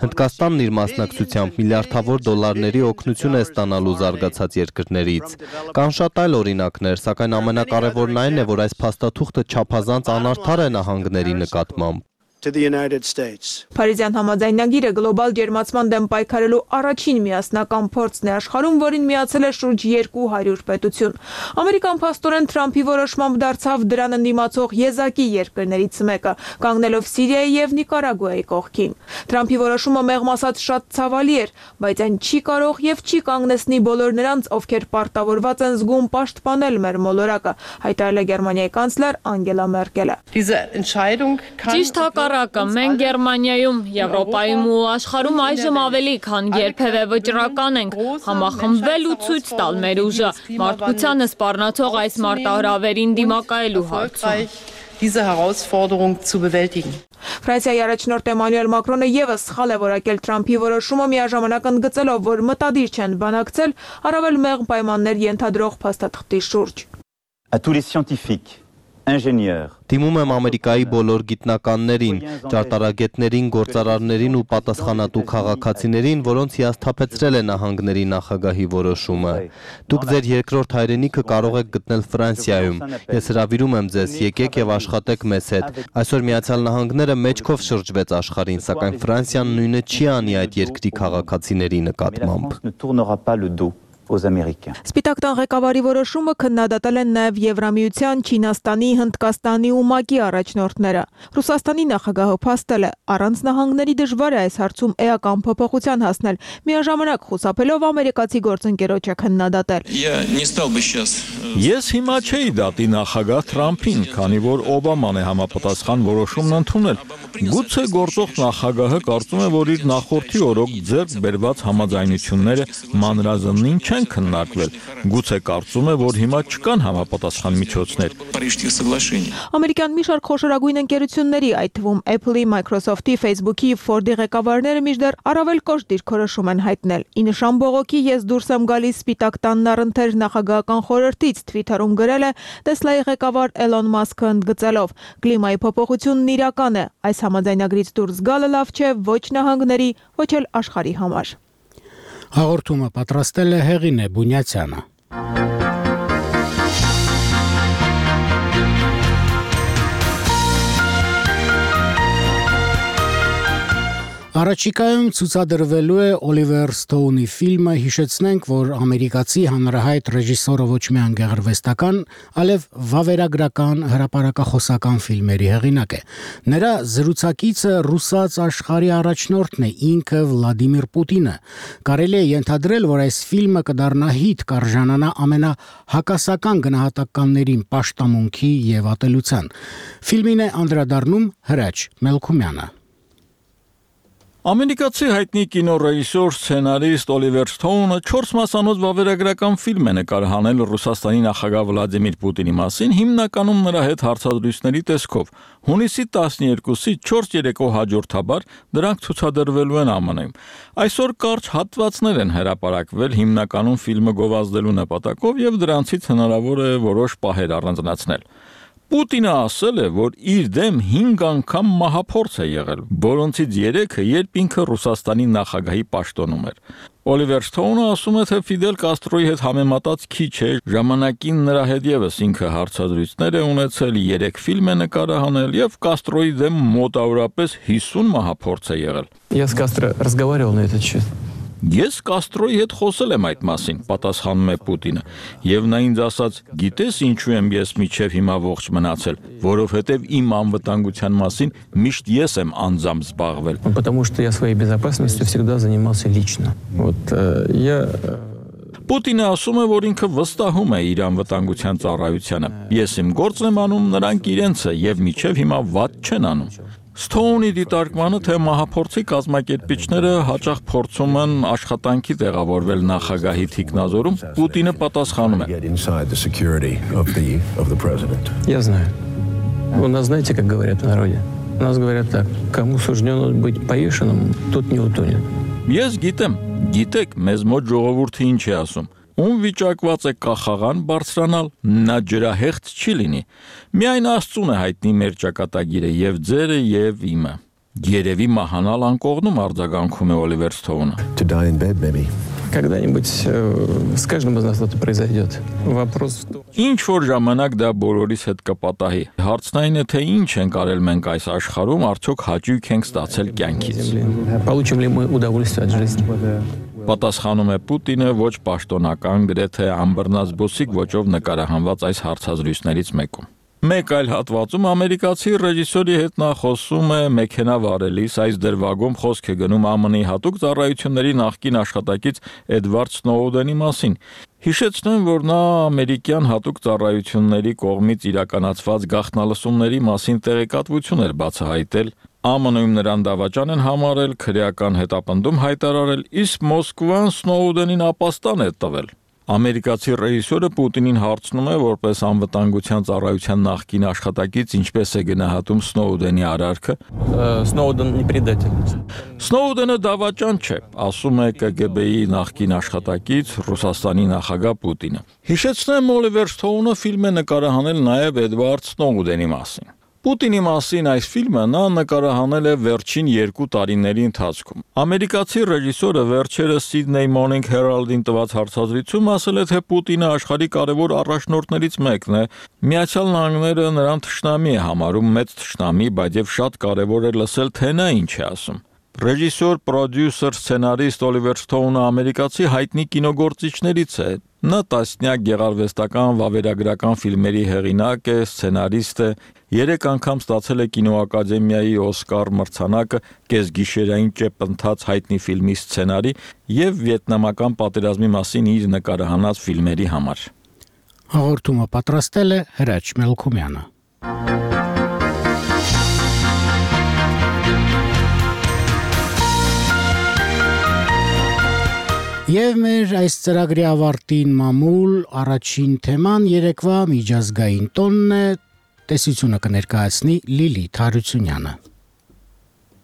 Հնդկաստանն իր մասնակցությամբ միլիարդավոր դոլարների օգնություն է ստանալու զարգացած երկրներից։ Կան շատ այլ օրինակներ, սակայն ամենակարևորն այն է, որ այս փաստաթուղթը չափազանց անարդար է նահանգների նկատմամբ։ To the United States. Փարիզյան համաձայնագիրը գլոբալ ջերմացման դեմ պայքարելու առաջին միասնական փորձն է աշխարհում, որին միացել է շուրջ 200 պետություն։ Ամերիկան փաստորեն Թրամփի որոշմամբ դարձավ դրան ընդդիմացող եզակի երկրներից մեկը, կանգնելով Սիրիայի եւ Նիկարագուայի կողքին։ Թրամփի որոշումը մեղմ ասած շատ ցավալի էր, բայց այն չի կարող եւ չի կանգնեցնի բոլոր նրանց, ովքեր պարտավորված են զգում պաշտպանել մեր մոլորակը, հայտարարել է Գերմանիայի կանցլեր Անգելա Մերկելը։ Ճիշտ հակառակը, մենք Գերմանիայում, Եվրոպայում ու աշխարհում այժմ ավելի քան երբևէ վճռական ենք համախմբվել ու ցույց տալ մեր ուժը մարդկությանը սպառնացող այս մարտահրավերին դիմակայելու հարցում։ Diese Herausforderung zu bewältigen. Ֆրանսիայի առաջնորդ Էմանուել Մակրոնը եւս սխալ է որակել Թրամփի որոշումը միաժամանակ ընդգծելով, որ մտադիր չեն բանակցել առավել մեղմ պայմաններ ենթադրող փաստաթղթի շուրջ։ À tous les scientifiques, ingénieurs, Դիմում եմ Ամերիկայի բոլոր գիտնականներին, ճարտարագետներին, գործարարներին ու պատասխանատու քաղաքացիներին, որոնց հիասթափեցրել է նահանգների նախագահի որոշումը։ Դուք ձեր երկրորդ հայրենիքը կարող եք գտնել Ֆրանսիայում։ Ես հրավիրում եմ ձեզ, եկեք եւ աշխատեք մեզ հետ։ Այսօր Միացյալ Նահանգները մեջքով շրջվեց աշխարհին, սակայն Ֆրանսիան նույնը չի անի այդ երկրի քաղաքացիների նկատմամբ։ Սպիտակ տան ղեկավարի որոշումը քննադատել են նաև Եվրամիության, Չինաստանի, Հնդկաստանի ու ՄԱԿ-ի առաջնորդները։ Ռուսաստանի նախագահը փաստել է, առանց նահանգների դժվար է այս հարցում էական փոփոխության հասնել, միաժամանակ խուսափելով ամերիկացի գործընկերոջը քննադատել։ Ես հիմա չէի դատի նախագահ Թրամփին, քանի որ Օբաման է համապատասխան որոշումն ընդունել։ Գուցե գործող նախագահը կարծում է, որ իր նախորդի օրոք ձեռք բերված համաձայնությունները մանրազնին չեն քննարկվել։ Գուցե կարծում է, որ հիմա չկան համապատասխան միջոցներ։ Ամերիկյան մի շարք խոշորագույն ընկերությունների, այդ թվում Apple-ի, Microsoft-ի, Facebook-ի, Ford-ի ղեկավարները մինչդեռ առավել կոշտ դիրքորոշում են հայտնել։ Ի նշան բողոքի ես դուրս եմ գալիս Սպիտակ տանն առընթեր նախագահական խորհրդից, Twitter-ում գրել է Tesla-ի ղեկավար Էլոն Մասկը ընդգծելով. «Կլիմայի փոփոխությունն իրական է, այս համաձայնագրից դուրս գալը լավ չէ ոչ նահանգների, ոչ էլ աշխարհի համար»։ Հաղորդումը պատրաստել է Հեղինե Բունյացյանը։ Առաջիկայում ցուցադրվելու է Օլիվեր Սթոունի ֆիլմը, հիշեցնենք, որ ամերիկացի հանրահայտ ռեժիսորը ոչ միայն գեղարվեստական, այլև վավերագրական, հրապարակախոսական ֆիլմերի հեղինակ է։ Նրա զրուցակիցը ռուսաց աշխարհի առաջնորդն է, ինքը Վլադիմիր Պուտինը։ Կարելի է ենթադրել, որ այս ֆիլմը կդառնա հիթ, կարժանանա ամենահակասական գնահատականներին պաշտամունքի եւ ատելության։ Ֆիլմին է անդրադառնում Հրաչ Մելքումյանը։ Ամերիկացի հայտնի կինոռեժիսոր, սցենարիստ Օլիվեր Սթոունը 4 մասանոց վավերագրական ֆիլմ է նկարահանել Ռուսաստանի նախագահ Վլադիմիր Պուտինի մասին, հիմնականում նրա հետ հարցազրույցների տեսքով։ Հունիսի 12-ից 4 երեկո հաջորդաբար դրանք ցուցադրվելու են ԱՄՆ-ում։ Այսօր կարճ հատվածներ են հրապարակվել հիմնականում ֆիլմը գովազդելու նպատակով եւ դրանցից հնարավոր է որոշ պահեր առանձնացնել։ Պուտինը ասել է, որ իր դեմ 5 անգամ մահափորձ է եղել, որոնցից 3-ը երբ ինքը Ռուսաստանի նախագահի պաշտոնում էր։ Օլիվեր Սթոունը ասում է, թե Ֆիդել Կաստրոյի հետ համեմատած քիչ է, ժամանակին նրա հետ եւս ինքը հարցազրույցներ է ունեցել, 3 ֆիլմ է նկարահանել եւ Կաստրոյի դեմ մոտավորապես 50 մահափորձ է եղել։ Я с Кастро разговаривал на этот счет. Ես Կաստրոյի հետ խոսել եմ այդ մասին, պատասխանում է Պուտինը, եւ նա ինձ ասաց, գիտես ինչու եմ ես միջև հիմա ողջ մնացել, որովհետեւ իմ անվտանգության մասին միշտ ես եմ անձամբ զբաղվել։ Потому что я своей безопасностью всегда занимался лично. Պուտինը ասում է, որ ինքը վստահում է իր անվտանգության ծառայությանը։ Ես իմ գործն եմ անում, նրանք իրենցը եւ միջև հիմա վատ չեն անում։ Ստոունի դիտարկմանը, թե մահափորձի կազմակերպիչները հաճախ փորձում են աշխատանքի տեղավորվել նախագահի թիկնազորում, Պուտինը պատասխանում է. Я знаю. У нас, знаете, как говорят в народе? У нас говорят так: кому суждено быть повешенным, тот не утонет. Ես գիտեք, մեզ մոտ ժողովուրդը ինչ է ասում։ Ում վիճակված է կախաղան բարձրանալ, նա ջրահեղձ չի լինի։ Միայն Աստծուն է հայտնի մեր ճակատագիրը, եւ ձերը եւ իմը։ Երևի մահանալ անկողնում արձագանքում է Օլիվեր Սթոունը։ Когда-нибудь с каждым из нас это произойдет. Вопрос в том. Ինչ որ ժամանակ դա բոլորիս հետ կպատահի։ Հարցն այն է, թե ինչ ենք արել մենք այս աշխարհում, արդյոք հաճույք ենք ստացել կյանքից։ Получим ли мы удовольствие от жизни? Պատասխանում է Պուտինը ոչ պաշտոնական, գրեթե անբռնազբոսիկ ոճով նկարահանված այս հարցազրույցներից մեկում։ Մեկ այլ հատվածում ամերիկացի ռեժիսորի հետ նա խոսում է մեքենա վարելիս, այս դրվագում խոսք է գնում ԱՄՆ-ի հատուկ ծառայությունների նախկին աշխատակից Էդվարդ Սնոուդենի մասին։ Հիշեցնեմ, որ նա ամերիկյան հատուկ ծառայությունների կողմից իրականացված գաղտնալսումների մասին տեղեկատվություն էր բացահայտել, ԱՄՆ-ում նրան դավաճան են համարել, քրեական հետապնդում հայտարարել, իսկ Մոսկվան Սնոուդենին ապաստան է տվել։ Ամերիկացի ռեժիսորը Պուտինին հարցնում է, որպես անվտանգության ծառայության նախկին աշխատակից, ինչպես է գնահատում Սնոուդենի արարքը։ Սնոուդեն не предатель. Սնոուդենը դավաճան չէ, ասում է ԿԳԲ-ի նախկին աշխատակից Ռուսաստանի նախագահ Պուտինը։ Հիշեցնեմ, Օլիվեր Սթոունը ֆիլմ է նկարահանել նաև Էդվարդ Սնոուդենի մասին։ Պուտինի մասին այս ֆիլմը նա նկարահանել է վերջին 2 տարիների ընթացքում։ Ամերիկացի ռեժիսորը վերջերս Sydney Morning Herald-ին տված հարցազրույցում ասել է, թե Պուտինը աշխարհի կարևոր առաջնորդներից մեկն է։ Միացյալ Նահանգները նրան թշնամի է համարում, մեծ թշնամի, բայց եւ շատ կարևոր է լսել, թե նա ինչ է ասում։ Ռեժիսոր, պրոդյուսեր, սցենարիստ Օլիվեր Սթոունը ամերիկացի հայտնի կինոգործիչներից է։ Նա տասնյակ գեղարվեստական, վավերագրական ֆիլմերի հեղինակ է, սցենարիստ է, 3 անգամ ստացել է կինոակադեմիայի Օսկար մրցանակը կեսգիշերային ճեպ ընթաց հայտնի ֆիլմի սցենարի եւ վիետնամական պատերազմի մասին իր նկարահանած ֆիլմերի համար։ Հաղորդումը պատրաստել է Հրաչ Մելքումյանը։ Եվ մեր այս ծրագրի ավարտին մամուլ առաջին թեման երեկվա միջազգային տոնն է, տեսությունը կներկայացնի Լիլիթ Հարությունյանը։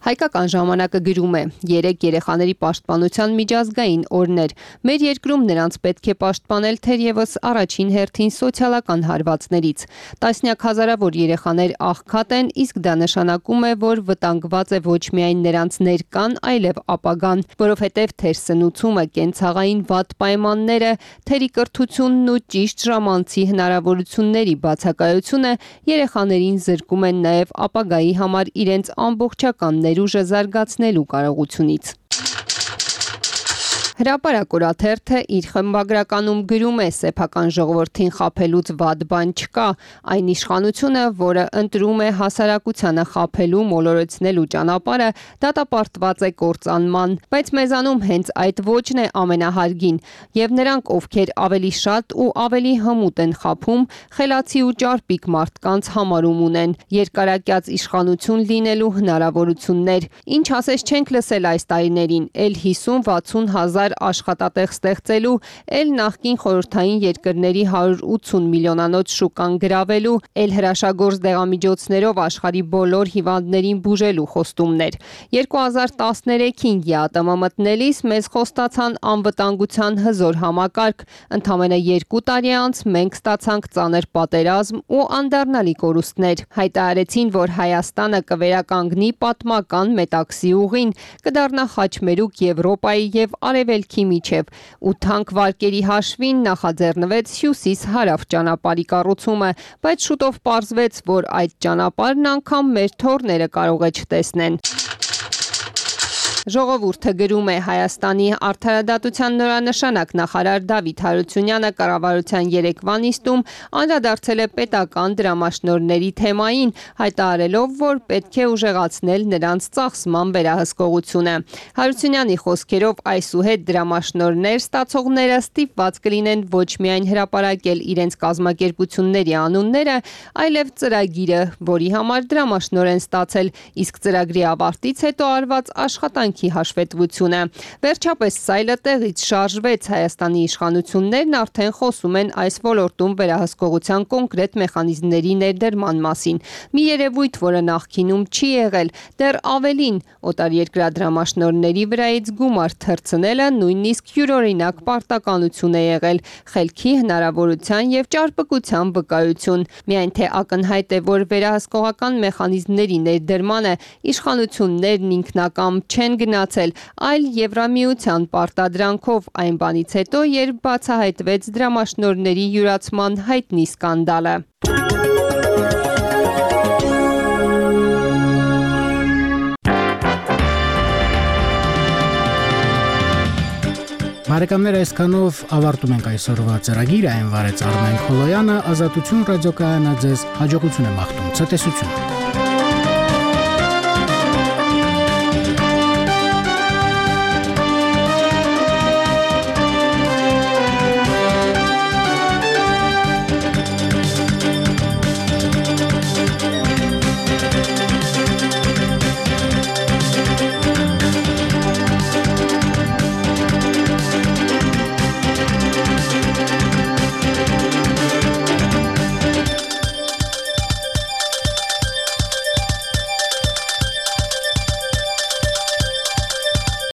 Հայկական ժամանակը գրում է. 3 երեխաների պաշտպանության միջազգային օրներ։ Մեր երկրում նրանց պետք է պաշտպանել թերևս առաջին հերթին սոցիալական հարվածներից։ Տասնյակ հազարավոր երեխաներ աղքատ են, իսկ դա նշանակում է, որ վտանգված է ոչ միայն նրանց ներկան, այլև ապագան, որովհետև թերսնուցումը, կենցաղային վատ պայմանները, թերի կրթությունն ու ճիշտ ժամանցի հնարավորությունների բացակայությունը երեխաներին զրկում են նաև ապագայի համար իրենց ամբողջական ներուժը զարգացնելու կարողությունից։ Հրապարակ օրաթերթը իր խմբագրականում գրում է. սեփական ժողովրդին խաբելուց վատ բան չկա, այն իշխանությունը, որը ընտրում է հասարակությանը խաբելու, մոլորեցնելու ճանապարհը, դատապարտված է կործանման, բայց մեզանում հենց այդ ոճն է ամենահարգին, եւ նրանք, ովքեր ավելի շատ ու ավելի հմուտ են խաբում, խելացի ու ճարպիկ մարդկանց համարում ունեն, երկարակյաց իշխանություն լինելու հնարավորություններ, ինչ ասես չենք լսել այս տարիներին, էլ 50-60 հազար աշխատատեղ ստեղծելու, էլ նախկին խորհրդային երկրների 180 միլիոնանոց շուկան գրավելու, էլ հրաշագործ դեղամիջոցներով աշխարհի բոլոր հիվանդներին բուժելու խոստումներ։ 2013-ին ԵԱՏՄ մտնելիս մեզ խոստացան անվտանգության հզոր համակարգ, ընդամենը 2 տարի անց մենք ստացանք ծանր պատերազմ ու անդառնալի կորուստներ։ Հայտարարեցին, որ Հայաստանը կվերականգնի պատմական Մետաքսի ուղին, կդառնա խաչմերուկ Եվրոպայի եւ Արևելքի միջև, ու թանկ վարկերի հաշվին նախաձեռնվեց հյուսիս-հարավ ճանապարհի կառուցումը, բայց շուտով պարզվեց, որ այդ ճանապարհն անգամ մեր թոռները կարող է չտեսնեն։ Ժողովուրդը գրում է Հայաստանի արդարադատության նորանշանակ նախարար Դավիթ Հարությունյանը կառավարության երեկվա նիստում անդրադարձել է պետական դրամաշնորհների թեմային, հայտարարելով, որ պետք է ուժեղացնել նրանց ծախսման վերահսկողությունը։ Հարությունյանի խոսքերով այսուհետ դրամաշնորհներ ստացողները ստիպված կլինեն ոչ միայն հրապարակել իրենց կազմակերպությունների անունները, այլև ծրագիրը, որի համար դրամաշնորհ են ստացել, իսկ ծրագրի ավարտից հետո արված աշխատանքի հաշվետվությունը։ Վերջապես սայլը տեղից շարժվեց, Հայաստանի իշխանություններն արդեն խոսում են այս ոլորտում վերահսկողության կոնկրետ մեխանիզմների ներդրման մասին։ Մի երևույթ, որը նախկինում չի եղել, դեռ ավելին, օտարերկրյա դրամաշնորհների վրայից գումար թռցնելը նույնիսկ յուրօրինակ պարտականություն է եղել, խելքի հնարավորության եւ ճարպկության վկայություն։ Միայն թե ակնհայտ է, որ վերահսկողական մեխանիզմների ներդրմանը իշխանություններն ինքնակամ չեն գնացել, այլ Եվրամիության պարտադրանքով այն բանից հետո, երբ բացահայտվեց դրամաշնորհների յուրացման հայտնի սկանդալը։ Բարեկամներ, այսքանով ավարտում ենք այսօրվա ծրագիրը, այն վարեց Արմեն Քոլոյանը, Ազատություն ռադիոկայանը ձեզ հաջողություն է մաղթում, ցտեսություն։